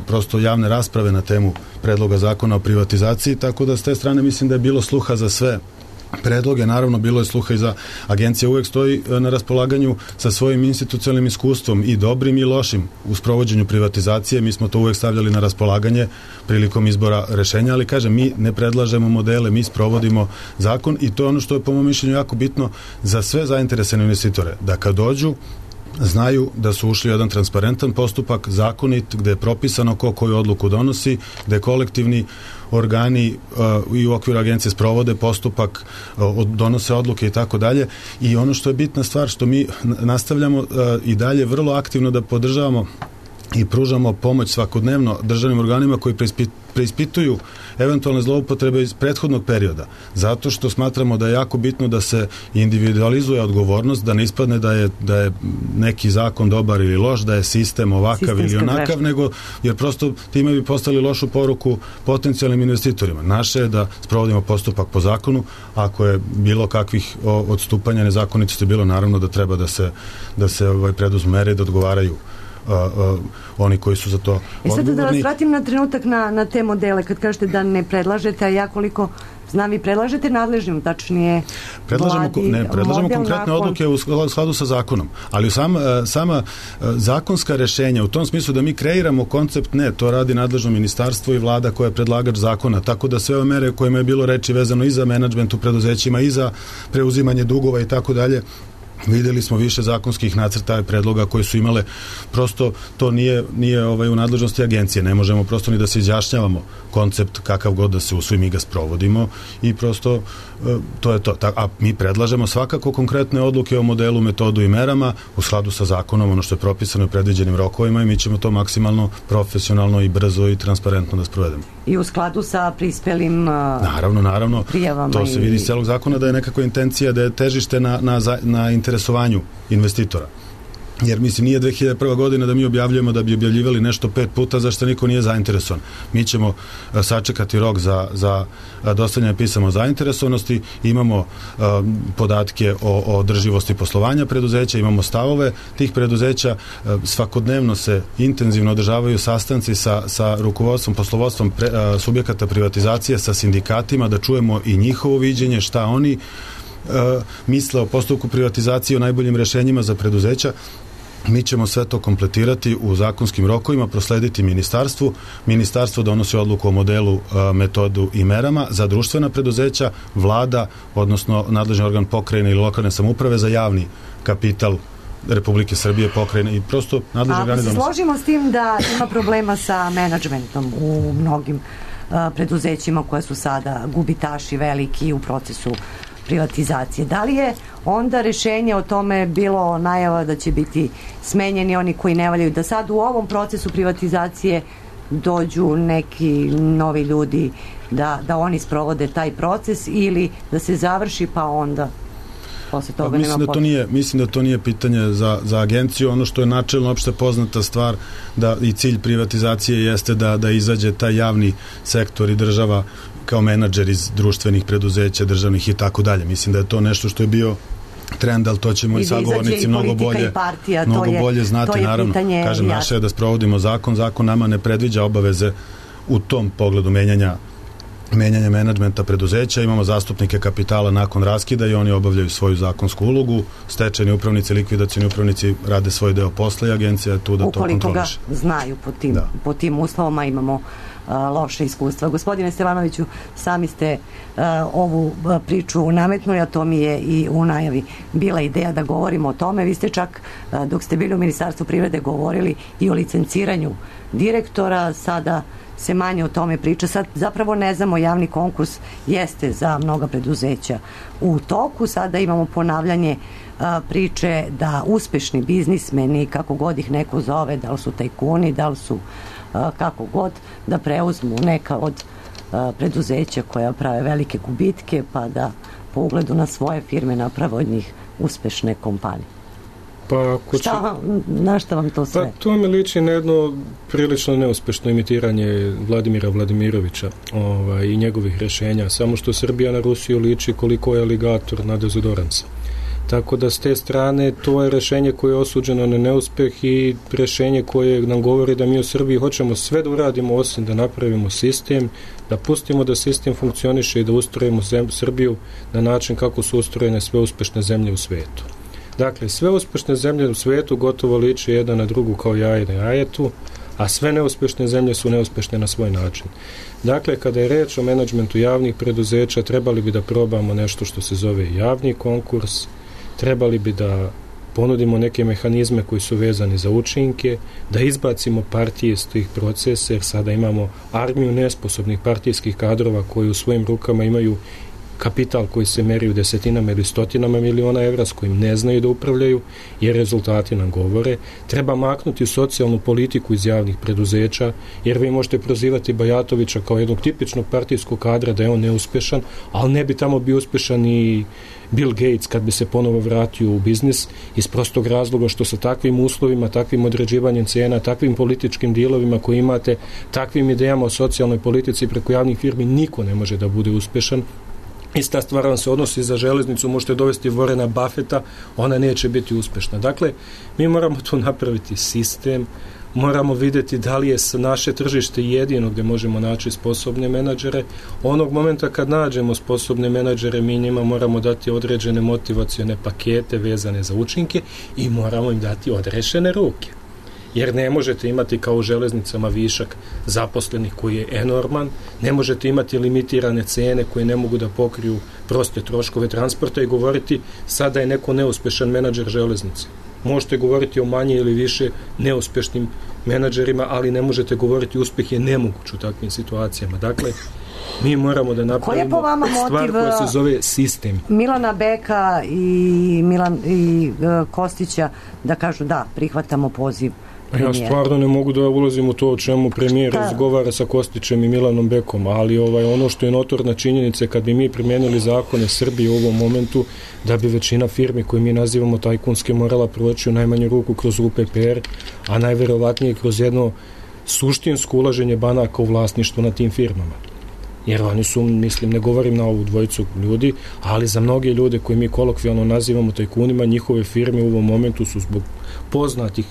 prosto javne rasprave na temu predloga zakona o privatizaciji, tako da s te strane mislim da je bilo sluha za sve predloge. Naravno, bilo je sluha i za agencija uvek stoji na raspolaganju sa svojim institucionalnim iskustvom i dobrim i lošim u sprovođenju privatizacije. Mi smo to uvek stavljali na raspolaganje prilikom izbora rešenja, ali kažem, mi ne predlažemo modele, mi sprovodimo zakon i to je ono što je po mom mišljenju jako bitno za sve zainteresovane investitore, da kad dođu znaju da su ušli u jedan transparentan postupak, zakonit, gde je propisano ko koju odluku donosi, gde kolektivni organi uh, i u okviru agencije sprovode postupak, uh, donose odluke i tako dalje. I ono što je bitna stvar, što mi nastavljamo uh, i dalje vrlo aktivno da podržavamo i pružamo pomoć svakodnevno državnim organima koji preispit, preispituju eventualne zloupotrebe iz prethodnog perioda. Zato što smatramo da je jako bitno da se individualizuje odgovornost, da ne ispadne da je, da je neki zakon dobar ili loš, da je sistem ovakav Sistemska ili onakav, greška. Nego jer prosto time bi postali lošu poruku potencijalnim investitorima. Naše je da sprovodimo postupak po zakonu, ako je bilo kakvih odstupanja, nezakonitosti bilo, naravno da treba da se, da se ovaj, preduzmu mere i da odgovaraju Uh, uh, oni koji su za to odgovorni. I sad da vas vratim na trenutak na, na te modele, kad kažete da ne predlažete, a ja koliko znam, vi predlažete nadležnim, tačnije predlažemo, vladi, ne, predlažemo konkretne nakon... odluke u skladu sa zakonom, ali sama, sama zakonska rešenja u tom smislu da mi kreiramo koncept, ne, to radi nadležno ministarstvo i vlada koja je predlagač zakona, tako da sve ove mere kojima je bilo reči vezano i za menadžment u preduzećima i za preuzimanje dugova i tako dalje, videli smo više zakonskih nacrta i predloga koji su imale, prosto to nije, nije ovaj, u nadležnosti agencije, ne možemo prosto ni da se izjašnjavamo koncept kakav god da se usvoji, mi ga sprovodimo i prosto to je to. A mi predlažemo svakako konkretne odluke o modelu, metodu i merama u skladu sa zakonom, ono što je propisano i predviđenim rokovima i mi ćemo to maksimalno profesionalno i brzo i transparentno da sprovedemo. I u skladu sa prispelim naravno, naravno, prijavama. To se vidi iz celog zakona da je nekakva intencija da je težište na, na, na interesovanju investitora. Jer mislim nije dve hiljade prva godina da mi objavljujemo da bi objavljivali nešto pet puta zašto niko nije zainteresovan. Mi ćemo a, sačekati rok za, za dostavljanje pisama o zainteresovanosti, imamo a, podatke o, o održivosti poslovanja preduzeća, imamo stavove tih preduzeća, a, svakodnevno se intenzivno održavaju sastanci sa, sa rukovodstvom, poslovodstvom pre, a, subjekata privatizacije, sa sindikatima, da čujemo i njihovo viđenje, šta oni a, misle o postupku privatizacije, o najboljim rešenjima za preduzeća. Mi ćemo sve to kompletirati u zakonskim rokovima, proslediti ministarstvu. Ministarstvo donosi odluku o modelu, metodu i merama za društvena preduzeća, vlada, odnosno nadležni organ pokrajine ili lokalne samouprave za javni kapital Republike Srbije, pokrajine i prosto nadležni organi donose. A se složimo s tim da ima problema sa menadžmentom u mnogim a, preduzećima koje su sada gubitaši veliki u procesu privatizacije. Da li je onda rešenje o tome bilo najava da će biti smenjeni oni koji ne valjaju, da sad u ovom procesu privatizacije dođu neki novi ljudi da, da oni sprovode taj proces ili da se završi pa onda posle toga pa, mislim, nema da to nije, mislim da to nije pitanje za, za agenciju. Ono što je načelno opšte poznata stvar da i cilj privatizacije jeste da, da izađe taj javni sektor i država kao menadžer iz društvenih preduzeća, državnih i tako dalje. Mislim da je to nešto što je bio trend, ali to će moji sagovornici mnogo bolje, partija, mnogo je, bolje znati, naravno. Pitanje, Kažem, jasno. naše je da sprovodimo zakon, zakon nama ne predviđa obaveze u tom pogledu menjanja menjanje menadžmenta preduzeća, imamo zastupnike kapitala nakon raskida i oni obavljaju svoju zakonsku ulogu, stečajni upravnici, likvidacioni upravnici rade svoj deo posla i agencija je tu da to kontroliše. Ukoliko ga znaju po tim, da. po tim uslovama imamo a, loše iskustva. Gospodine Stevanoviću, sami ste a, ovu a, priču nametnuli, a to mi je i u najavi bila ideja da govorimo o tome. Vi ste čak, a, dok ste bili u Ministarstvu privrede, govorili i o licenciranju direktora, sada se manje o tome priča. Sad zapravo ne znamo, javni konkurs jeste za mnoga preduzeća u toku, sada imamo ponavljanje a, priče da uspešni biznismeni, kako god ih neko zove, da li su tajkuni, da li su a, kako god, da preuzmu neka od a, preduzeća koja prave velike gubitke pa da po ugledu na svoje firme naprave od njih uspešne kompanije. Pa, šta vam, na šta vam to sve? Pa to mi liči na jedno prilično neuspešno imitiranje Vladimira Vladimirovića ovaj, i njegovih rešenja, samo što Srbija na Rusiju liči koliko je aligator na dezodoransa. Tako da s te strane to je rešenje koje je osuđeno na neuspeh i rešenje koje nam govori da mi u Srbiji hoćemo sve da uradimo osim da napravimo sistem, da pustimo da sistem funkcioniše i da ustrojimo zem, Srbiju na način kako su ustrojene sve uspešne zemlje u svetu. Dakle, sve uspešne zemlje u svetu gotovo liče jedna na drugu kao jaje na jajetu, a sve neuspešne zemlje su neuspešne na svoj način. Dakle, kada je reč o menadžmentu javnih preduzeća, trebali bi da probamo nešto što se zove javni konkurs, trebali bi da ponudimo neke mehanizme koji su vezani za učinke, da izbacimo partije iz tih procesa, jer sada imamo armiju nesposobnih partijskih kadrova koji u svojim rukama imaju kapital koji se meri u desetinama ili stotinama miliona evra s kojim ne znaju da upravljaju, jer rezultati nam govore. Treba maknuti socijalnu politiku iz javnih preduzeća, jer vi možete prozivati Bajatovića kao jednog tipičnog partijskog kadra da je on neuspešan, ali ne bi tamo bio uspešan i Bill Gates kad bi se ponovo vratio u biznis, iz prostog razloga što sa takvim uslovima, takvim određivanjem cena, takvim političkim dilovima koji imate, takvim idejama o socijalnoj politici preko javnih firmi niko ne može da bude uspešan. Ista stvar vam se odnosi za železnicu, možete dovesti Warrena Buffetta, ona neće biti uspešna. Dakle, mi moramo tu napraviti sistem, moramo vidjeti da li je naše tržište jedino gdje možemo naći sposobne menadžere. Onog momenta kad nađemo sposobne menadžere, mi njima moramo dati određene motivacione pakete vezane za učinke i moramo im dati odrešene ruke. Jer ne možete imati kao u železnicama višak zaposlenih koji je enorman, ne možete imati limitirane cene koje ne mogu da pokriju proste troškove transporta i govoriti sada je neko neuspešan menadžer železnice. Možete govoriti o manje ili više neuspešnim menadžerima, ali ne možete govoriti uspeh je nemoguć u takvim situacijama. Dakle, mi moramo da napravimo stvar koja se zove sistem. Milana Beka i, Milan, i uh, Kostića da kažu da, prihvatamo poziv. Ja stvarno ne mogu da ulazim u to o čemu premijer razgovara sa Kostićem i Milanom Bekom, ali ovaj, ono što je notorna činjenica, kad bi mi primijenili zakone Srbije u ovom momentu, da bi većina firmi koje mi nazivamo tajkunske morala proći u najmanju ruku kroz U P P R, a najverovatnije kroz jedno suštinsko ulaženje banaka u vlasništvo na tim firmama. Jer oni su, mislim, ne govorim na ovu dvojicu ljudi, ali za mnoge ljude koje mi kolokvijalno nazivamo tajkunima, njihove firme u ovom momentu su zbog poznatih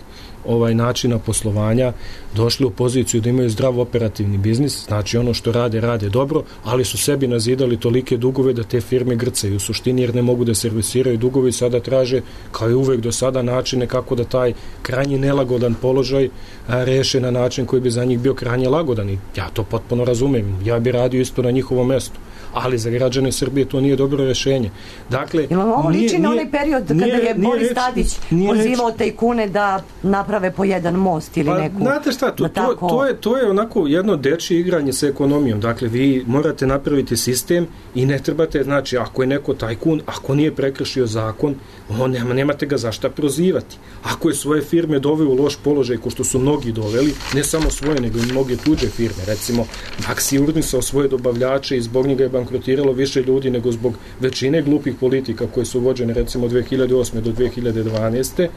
ovaj načina poslovanja došli u poziciju da imaju zdrav operativni biznis, znači ono što rade, rade dobro, ali su sebi nazidali tolike dugove da te firme grcaju u suštini jer ne mogu da servisiraju dugove i sada traže, kao i uvek do sada, načine kako da taj krajnji nelagodan položaj a, reše na način koji bi za njih bio krajnje lagodan i ja to potpuno razumem, ja bi radio isto na njihovom mestu, ali za građane Srbije to nije dobro rešenje. Dakle, Imamo ovo liči na onaj period kada nije, je Boris reč, Tadić pozivao tajkune da naprave po jedan most ili pa, neku... Znate šta, to, tako... to, to, je, to je onako jedno dečje igranje sa ekonomijom. Dakle, vi morate napraviti sistem i ne trebate, znači, ako je neko tajkun, ako nije prekršio zakon, on nema, nemate ga zašta prozivati. Ako je svoje firme doveo u loš položaj, ko što su mnogi doveli, ne samo svoje, nego i mnoge tuđe firme. Recimo, Maksi urnisao svoje dobavljače i zbog njega je bankrotiralo više ljudi nego zbog većine glupih politika koje su vođene, recimo, od dve hiljade osme do dve hiljade dvanaeste.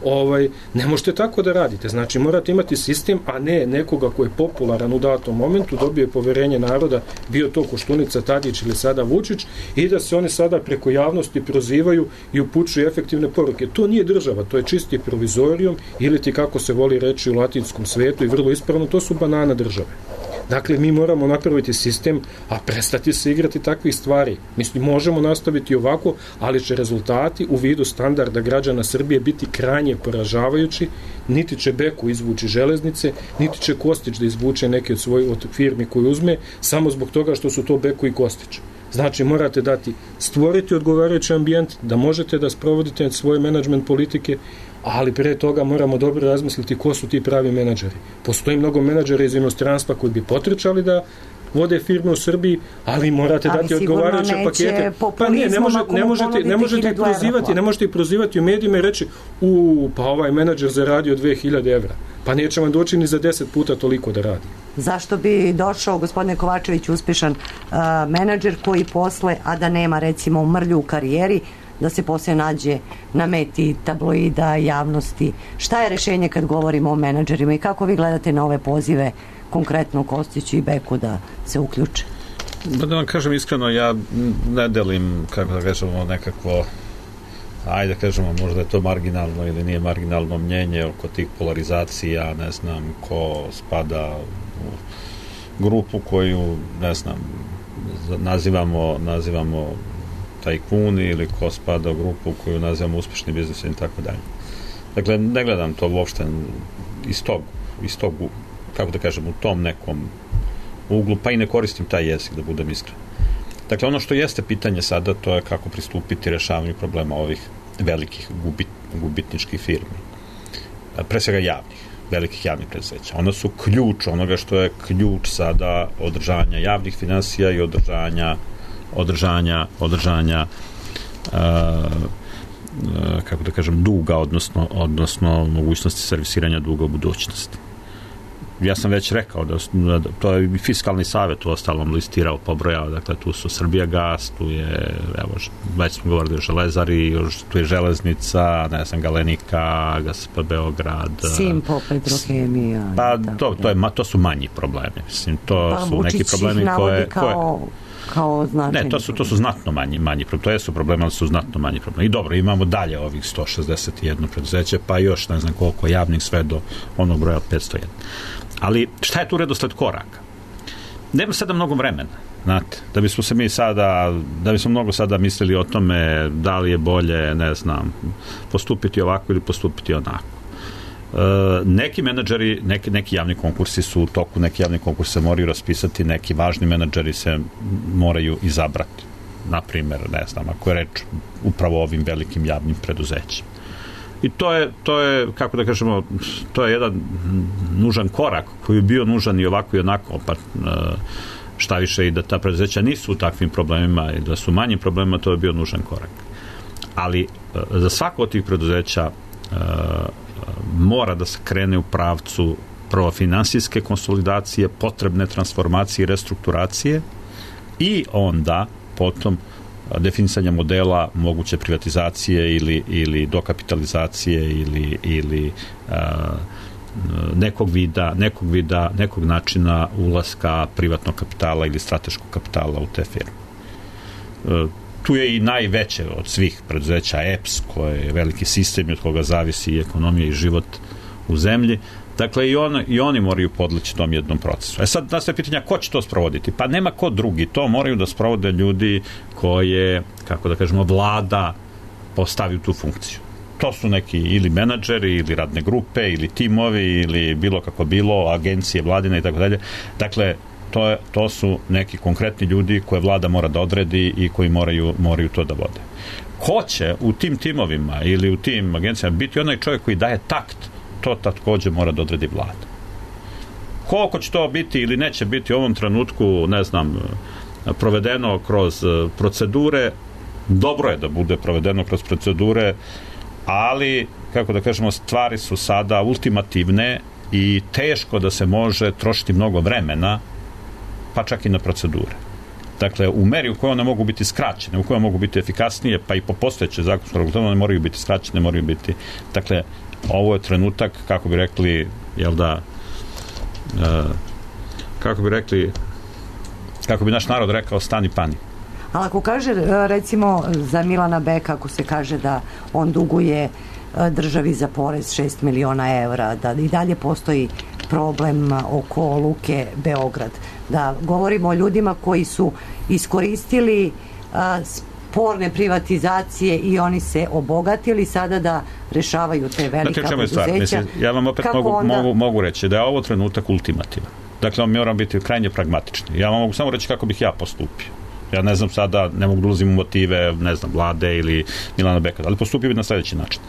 Ovaj, ne možete tako da radite. Znači, morate imati sistem, a ne nekoga ko je popularan u datom momentu, dobije poverenje naroda, bio to Koštunica, Tadić ili sada Vučić, i da se oni sada preko javnosti prozivaju i upućuju efektivne poruke. To nije država, to je čisti provizorijum, ili ti, kako se voli reći u latinskom svetu i vrlo ispravno, to su banana države. Dakle, mi moramo napraviti sistem, a prestati se igrati takvih stvari. Mislim, možemo nastaviti ovako, ali će rezultati u vidu standarda građana Srbije biti krajnje poražavajući. Niti će Beku izvući železnice, niti će Kostić da izvuče neke od svojih od firmi koju uzme, samo zbog toga što su to Beku i Kostić. Znači, morate dati, stvoriti odgovarajući ambijent, da možete da sprovodite svoje menadžment politike, ali pre toga moramo dobro razmisliti ko su ti pravi menadžeri. Postoji mnogo menadžera iz inostranstva koji bi potrečali da vode firme u Srbiji, ali morate ali dati odgovarajuće pakete. Pa ne, ne, može, ne možete, ne možete ih prozivati, ne možete ih prozivati u medijima i reći, u, pa ovaj menadžer zaradio dve hiljade evra. Pa neće vam doći ni za deset puta toliko da radi. Zašto bi došao, gospodine Kovačević, uspešan uh, menadžer koji posle, a da nema recimo mrlju u karijeri, da se poslije nađe na meti tabloida, javnosti? Šta je rešenje kad govorimo o menadžerima i kako vi gledate na ove pozive, konkretno Kostiću i Beku, da se uključe? Da vam kažem iskreno, ja ne delim, kako da kažemo, nekakvo, ajde da kažemo, možda je to marginalno ili nije marginalno mnjenje oko tih polarizacija, ne znam ko spada u grupu koju, ne znam, nazivamo, nazivamo tajkuni ili ko spada u grupu koju nazivamo uspešni biznis i tako dalje. Dakle, ne gledam to uopšte iz tog, iz tog, kako da kažem, u tom nekom uglu, pa i ne koristim taj jezik, da budem iskren. Dakle, ono što jeste pitanje sada, to je kako pristupiti rešavanju problema ovih velikih gubit, gubitničkih firmi. Pre svega javnih, velikih javnih preduzeća. Ona su ključ onoga što je ključ sada održanja javnih finansija i održanja održanja, održanja uh, uh, kako da kažem, duga, odnosno, odnosno mogućnosti servisiranja duga u budućnosti. Ja sam već rekao da, da to je i fiskalni savjet u ostalom listirao, pobrojao, dakle tu su Srbijagas, tu je, evo, već smo govorili o Železari, tu je Železnica, ne znam, Galenika, G S P Beograd, Simpo, Petrohemija. Pa to, to, je, to su manji problemi, mislim, to pa, su neki problemi koje... kao... koje kao značajni. Ne, to su, to su znatno manji, manji problemi. To jesu problemi, ali su znatno manji problemi. I dobro, imamo dalje ovih sto šezdeset jedan preduzeće, pa još ne znam koliko javnih, sve do onog broja od petsto jedan. Ali šta je tu redosled koraka? Nema sada mnogo vremena, znate, da bismo se mi sada, da bismo mnogo sada mislili o tome da li je bolje, ne znam, postupiti ovako ili postupiti onako. Uh, neki menadžeri, neki, neki javni konkursi su u toku, neki javni konkursi se moraju raspisati, neki važni menadžeri se moraju izabrati. Naprimjer, ne znam, ako je reč upravo o ovim velikim javnim preduzećima. I to je, to je, kako da kažemo, to je jedan nužan korak koji je bio nužan i ovako i onako, pa šta više i da ta preduzeća nisu u takvim problemima i da su manjim problemima, to je bio nužan korak. Ali za svako od tih preduzeća mora da se krene u pravcu prvo finansijske konsolidacije, potrebne transformacije i restrukturacije i onda potom definisanja modela moguće privatizacije ili, ili dokapitalizacije ili, ili a, nekog vida, nekog vida, nekog načina ulaska privatnog kapitala ili strateškog kapitala u te firme. E, tu je i najveće od svih preduzeća E P S, koje je veliki sistem i od koga zavisi i ekonomija i život u zemlji. Dakle, i, on, i oni moraju podleći tom jednom procesu. E sad, nastaje pitanja, ko će to sprovoditi? Pa nema ko drugi. To moraju da sprovode ljudi koje, kako da kažemo, vlada postavi u tu funkciju. To su neki ili menadžeri, ili radne grupe, ili timovi, ili bilo kako bilo, agencije, vladine i tako dalje. Dakle, to, je, to su neki konkretni ljudi koje vlada mora da odredi i koji moraju, moraju to da vode. Ko će u tim timovima ili u tim agencijama biti onaj čovjek koji daje takt, to takođe mora da odredi vlada. Koliko će to biti ili neće biti u ovom trenutku, ne znam, provedeno kroz procedure, dobro je da bude provedeno kroz procedure, ali, kako da kažemo, stvari su sada ultimativne i teško da se može trošiti mnogo vremena, pa čak i na procedure. Dakle, u meri u kojoj one mogu biti skraćene, u kojoj mogu biti efikasnije, pa i po postojeće zakonsko regulativu, one moraju biti skraćene, moraju biti... Dakle, ovo je trenutak, kako bi rekli, jel da, uh, kako bi rekli, kako bi naš narod rekao, stani pani. Ali ako kaže, recimo, za Milana Beka, ako se kaže da on duguje državi za porez šest miliona evra, da i dalje postoji problem oko Luke Beograd, da govorimo o ljudima koji su iskoristili a, sporne privatizacije i oni se obogatili sada da rešavaju te velika preduzeća. Mislim, ja vam opet mogu, onda... mogu, mogu reći da je ovo trenutak ultimativan. Dakle, mi moramo biti krajnje pragmatični. Ja vam mogu samo reći kako bih ja postupio. Ja ne znam sada, ne mogu da ulazim u motive, ne znam, vlade ili Milana Beka, ali postupio bi na sljedeći način.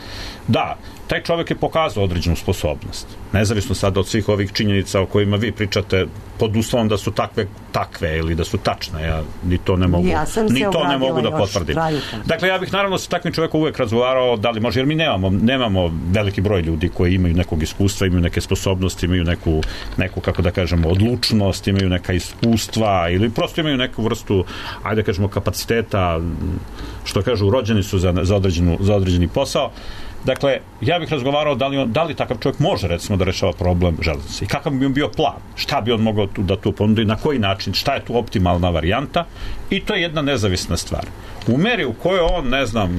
Da, taj čovjek je pokazao određenu sposobnost. Nezavisno sada od svih ovih činjenica o kojima vi pričate, pod uslovom da su takve, takve ili da su tačne. Ja ni to ne mogu, ja ni to ne mogu da potvrdim. Trajutom. Dakle, ja bih naravno sa takvim čovjekom uvek razgovarao da li može, jer mi nemamo, nemamo veliki broj ljudi koji imaju nekog iskustva, imaju neke sposobnosti, imaju neku, neku, kako da kažemo, odlučnost, imaju neka iskustva ili prosto imaju neku vrstu, ajde da kažemo, kapaciteta, što kažu, rođeni su za, za, određenu, za određeni posao. Dakle, ja bih razgovarao da li, on, da li takav čovjek može, recimo, da rešava problem železnice i kakav bi on bio plan, šta bi on mogao tu, da tu ponudi, na koji način, šta je tu optimalna varijanta, i to je jedna nezavisna stvar. U meri u kojoj on, ne znam,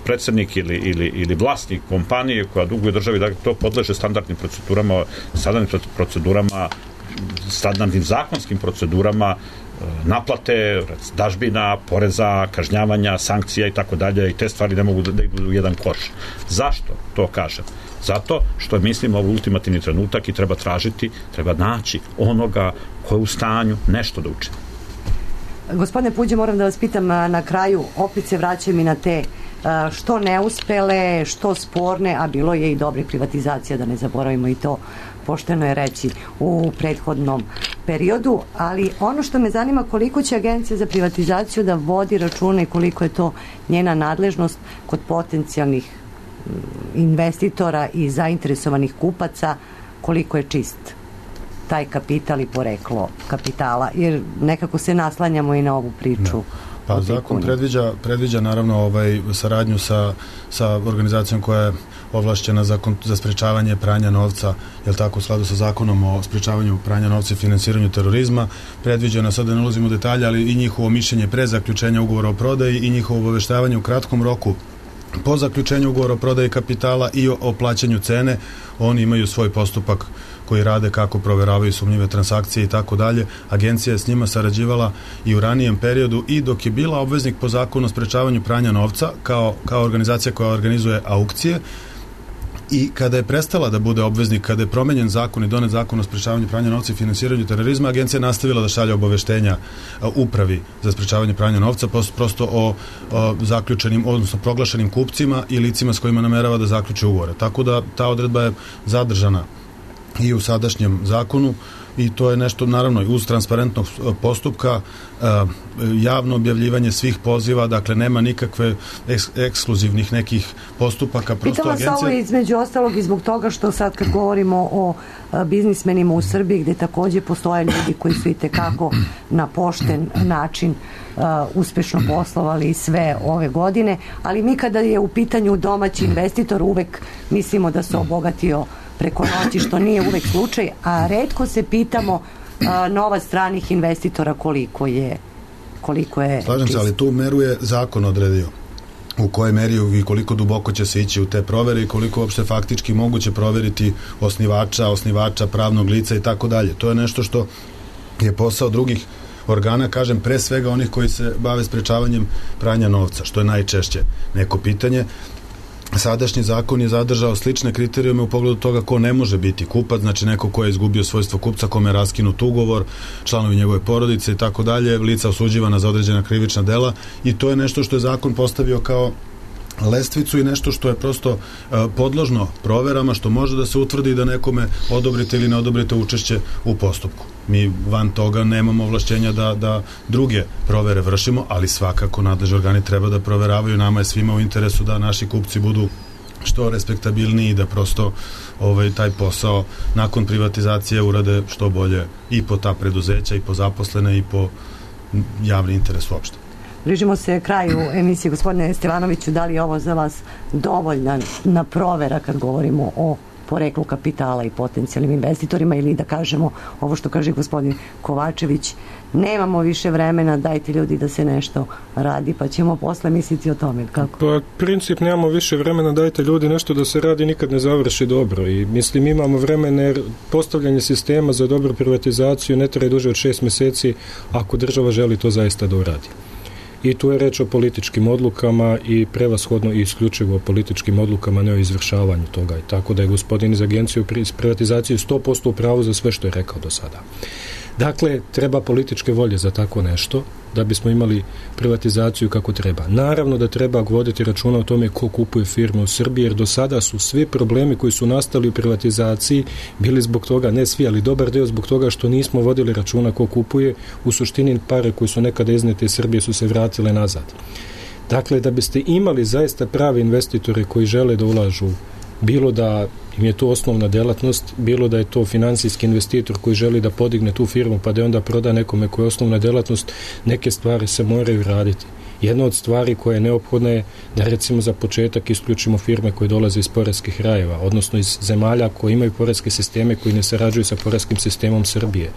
predsjednik ili, ili, ili vlasnik kompanije koja duguje državi, da to podleže standardnim procedurama, standardnim procedurama, standardnim zakonskim procedurama, naplate, dažbina, poreza, kažnjavanja, sankcija i tako dalje, i te stvari ne mogu da idu u jedan koš. Zašto to kažem? Zato što mislim ovo ultimativni trenutak i treba tražiti, treba naći onoga ko je u stanju nešto da učini. Gospodine Puđe, moram da vas pitam na kraju, opet se vraćam i na te što neuspele, što sporne, a bilo je i dobrih privatizacija, da ne zaboravimo i to, pošteno je reći, u prethodnom periodu, ali ono što me zanima, koliko će Agencija za privatizaciju da vodi računa i koliko je to njena nadležnost kod potencijalnih investitora i zainteresovanih kupaca, koliko je čist taj kapital i poreklo kapitala, jer nekako se naslanjamo i na ovu priču. No. Pa zakon predviđa, predviđa naravno ovaj, saradnju sa, sa organizacijom koja je ovlašćena za, za sprečavanje pranja novca, jel tako, u skladu sa zakonom o sprečavanju pranja novca i finansiranju terorizma. Predviđeno, sad da ne ulazimo u detalje, ali i njihovo mišljenje pre zaključenja ugovora o prodaji i njihovo obaveštavanje u kratkom roku po zaključenju ugovora o prodaji kapitala i o, o plaćanju cene. Oni imaju svoj postupak koji rade, kako proveravaju sumnjive transakcije i tako dalje. Agencija je s njima sarađivala i u ranijem periodu i dok je bila obveznik po zakonu o sprečavanju pranja novca kao, kao organizacija koja organizuje aukcije, i kada je prestala da bude obveznik, kada je promenjen zakon i donet zakon o sprečavanju pranja novca i finansiranju terorizma, agencija je nastavila da šalje obaveštenja upravi za sprečavanje pranja novca prosto o, o zaključenim, odnosno proglašenim kupcima i licima s kojima namerava da zaključe ugovore. Tako da ta odredba je zadržana i u sadašnjem zakonu, i to je nešto, naravno, uz transparentnog postupka, javno objavljivanje svih poziva, dakle nema nikakve eks, ekskluzivnih nekih postupaka. Pitam vas ovo između ostalog i zbog toga što sad kad govorimo o biznismenima u Srbiji, gde takođe postoje ljudi koji su i tekako na pošten način uh, uspešno poslovali sve ove godine, ali mi kada je u pitanju domaći investitor uvek mislimo da se obogatio preko noći, što nije uvek slučaj, a retko se pitamo a, nova stranih investitora koliko je koliko je Slažem se, ali tu meru je zakon odredio u kojoj meri i koliko duboko će se ići u te provere i koliko uopšte faktički moguće proveriti osnivača, osnivača pravnog lica i tako dalje. To je nešto što je posao drugih organa, kažem, pre svega onih koji se bave sprečavanjem pranja novca, što je najčešće neko pitanje. sadašnji zakon je zadržao slične kriterijume u pogledu toga ko ne može biti kupac, znači neko ko je izgubio svojstvo kupca, kome je raskinut ugovor, članovi njegove porodice i tako dalje, lica osuđivana za određena krivična dela, i to je nešto što je zakon postavio kao lestvicu i nešto što je prosto uh, podložno proverama, što može da se utvrdi da nekome odobrite ili ne odobrite učešće u postupku. Mi van toga nemamo ovlašćenja da, da druge provere vršimo, ali svakako nadležni organi treba da proveravaju. Nama je svima u interesu da naši kupci budu što respektabilniji i da prosto ovaj, taj posao nakon privatizacije urade što bolje i po ta preduzeća i po zaposlene i po javni interes uopšte. Bližimo se kraju emisije. Gospodine Stevanoviću, da li je ovo za vas dovoljna na provera kad govorimo o poreklu kapitala i potencijalnim investitorima, ili da kažemo ovo što kaže gospodin Kovačević, nemamo više vremena, dajte ljudi da se nešto radi, pa ćemo posle misliti o tome, kako? Pa princip nemamo više vremena, dajte ljudi nešto da se radi, nikad ne završi dobro, i mislim imamo vremena jer postavljanje sistema za dobru privatizaciju ne traje duže od šest meseci ako država želi to zaista da uradi. I tu je reč o političkim odlukama i prevashodno i isključivo o političkim odlukama, ne o izvršavanju toga. I tako da je gospodin iz agencije iz privatizacije sto posto u pravu za sve što je rekao do sada. Dakle, treba političke volje za tako nešto da bismo imali privatizaciju kako treba. Naravno da treba voditi računa o tome ko kupuje firme u Srbiji, jer do sada su svi problemi koji su nastali u privatizaciji bili zbog toga, ne svi, ali dobar deo zbog toga što nismo vodili računa ko kupuje. U suštini pare koje su nekada iznete iz Srbije su se vratile nazad. Dakle, da biste imali zaista pravi investitore koji žele da ulažu, bilo da im je to osnovna delatnost, bilo da je to finansijski investitor koji želi da podigne tu firmu pa da onda proda nekome koja je osnovna delatnost, neke stvari se moraju raditi. Jedna od stvari koja je neophodna je da recimo za početak isključimo firme koje dolaze iz poreskih rajeva, odnosno iz zemalja koje imaju poreske sisteme koji ne sarađuju sa poreskim sistemom Srbije.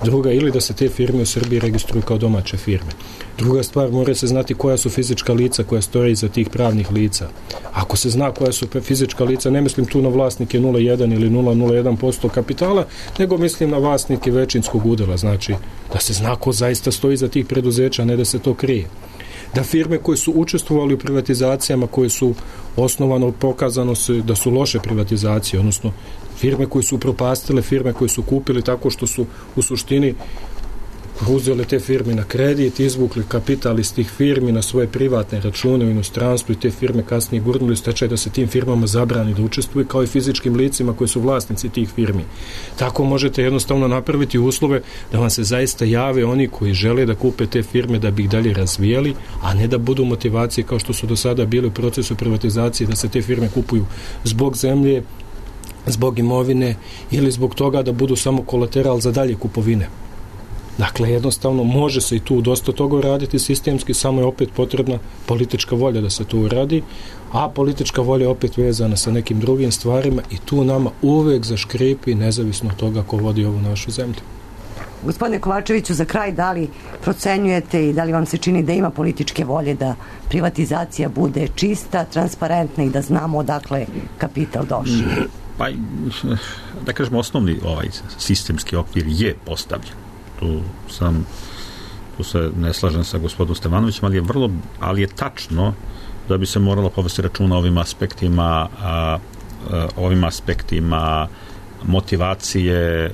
Druga, ili da se te firme u Srbiji registruju kao domaće firme. Druga stvar, mora se znati koja su fizička lica koja stoje iza tih pravnih lica. Ako se zna koja su fizička lica, ne mislim tu na vlasnike nula zarez jedan ili nula zarez nula jedan posto kapitala, nego mislim na vlasnike većinskog udela, znači da se zna ko zaista stoji iza tih preduzeća, ne da se to krije. Da firme koje su učestvovali u privatizacijama, koje su osnovano pokazano se da su loše privatizacije, odnosno firme koje su propastile, firme koje su kupili tako što su u suštini uzeli te firme na kredit, izvukli kapital iz tih firmi na svoje privatne račune u inostranstvu i te firme kasnije gurnuli u stečaj da se tim firmama zabrani da učestvuju, kao i fizičkim licima koji su vlasnici tih firmi. Tako možete jednostavno napraviti uslove da vam se zaista jave oni koji žele da kupe te firme da bi ih dalje razvijali, a ne da budu motivacije kao što su do sada bili u procesu privatizacije, da se te firme kupuju zbog zemlje, zbog imovine ili zbog toga da budu samo kolateral za dalje kupovine. Dakle, jednostavno može se i tu dosta toga uraditi sistemski, samo je opet potrebna politička volja da se to uradi, a politička volja je opet vezana sa nekim drugim stvarima i tu nama uvek zaškripi nezavisno od toga ko vodi ovu našu zemlju. Gospodine Kovačeviću, za kraj, da li procenjujete i da li vam se čini da ima političke volje da privatizacija bude čista, transparentna i da znamo odakle kapital došao? Pa, da kažemo, osnovni ovaj sistemski okvir je postavljen. Tu sam, tu se ne slažem sa gospodinom Stevanovićem, ali je vrlo, ali je tačno da bi se moralo povesti računa o ovim aspektima, a, a, ovim aspektima motivacije a,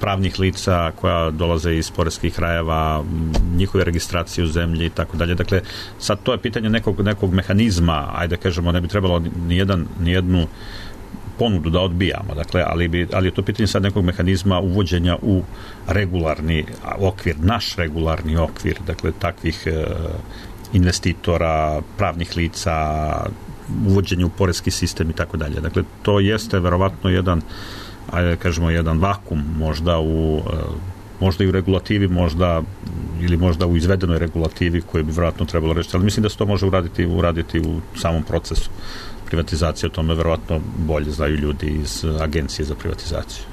pravnih lica koja dolaze iz poreskih krajeva, njihove registracije u zemlji i tako dalje. Dakle, sad to je pitanje nekog, nekog mehanizma, ajde kažemo, ne bi trebalo nijedan, nijednu ponudu da odbijamo, dakle, ali, bi, ali je to pitanje sad nekog mehanizma uvođenja u regularni okvir, naš regularni okvir, dakle, takvih e, investitora, pravnih lica, uvođenje u poreski sistem i tako dalje. Dakle, to jeste verovatno jedan, ajde kažemo, jedan vakum možda u, e, možda i u regulativi, možda ili možda u izvedenoj regulativi koju bi verovatno trebalo reći, ali mislim da se to može uraditi, uraditi u samom procesu privatizacije, o tome verovatno bolje znaju ljudi iz Agencije za privatizaciju.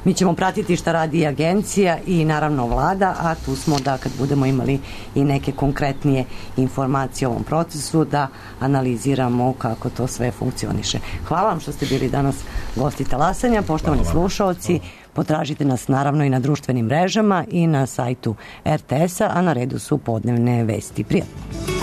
Mi ćemo pratiti šta radi agencija i naravno vlada, a tu smo da kad budemo imali i neke konkretnije informacije o ovom procesu, da analiziramo kako to sve funkcioniše. Hvala vam što ste bili danas gosti Talasanja. Poštovani slušaoci, potražite nas naravno i na društvenim mrežama i na sajtu er te es a, a na redu su podnevne vesti. Prijatno!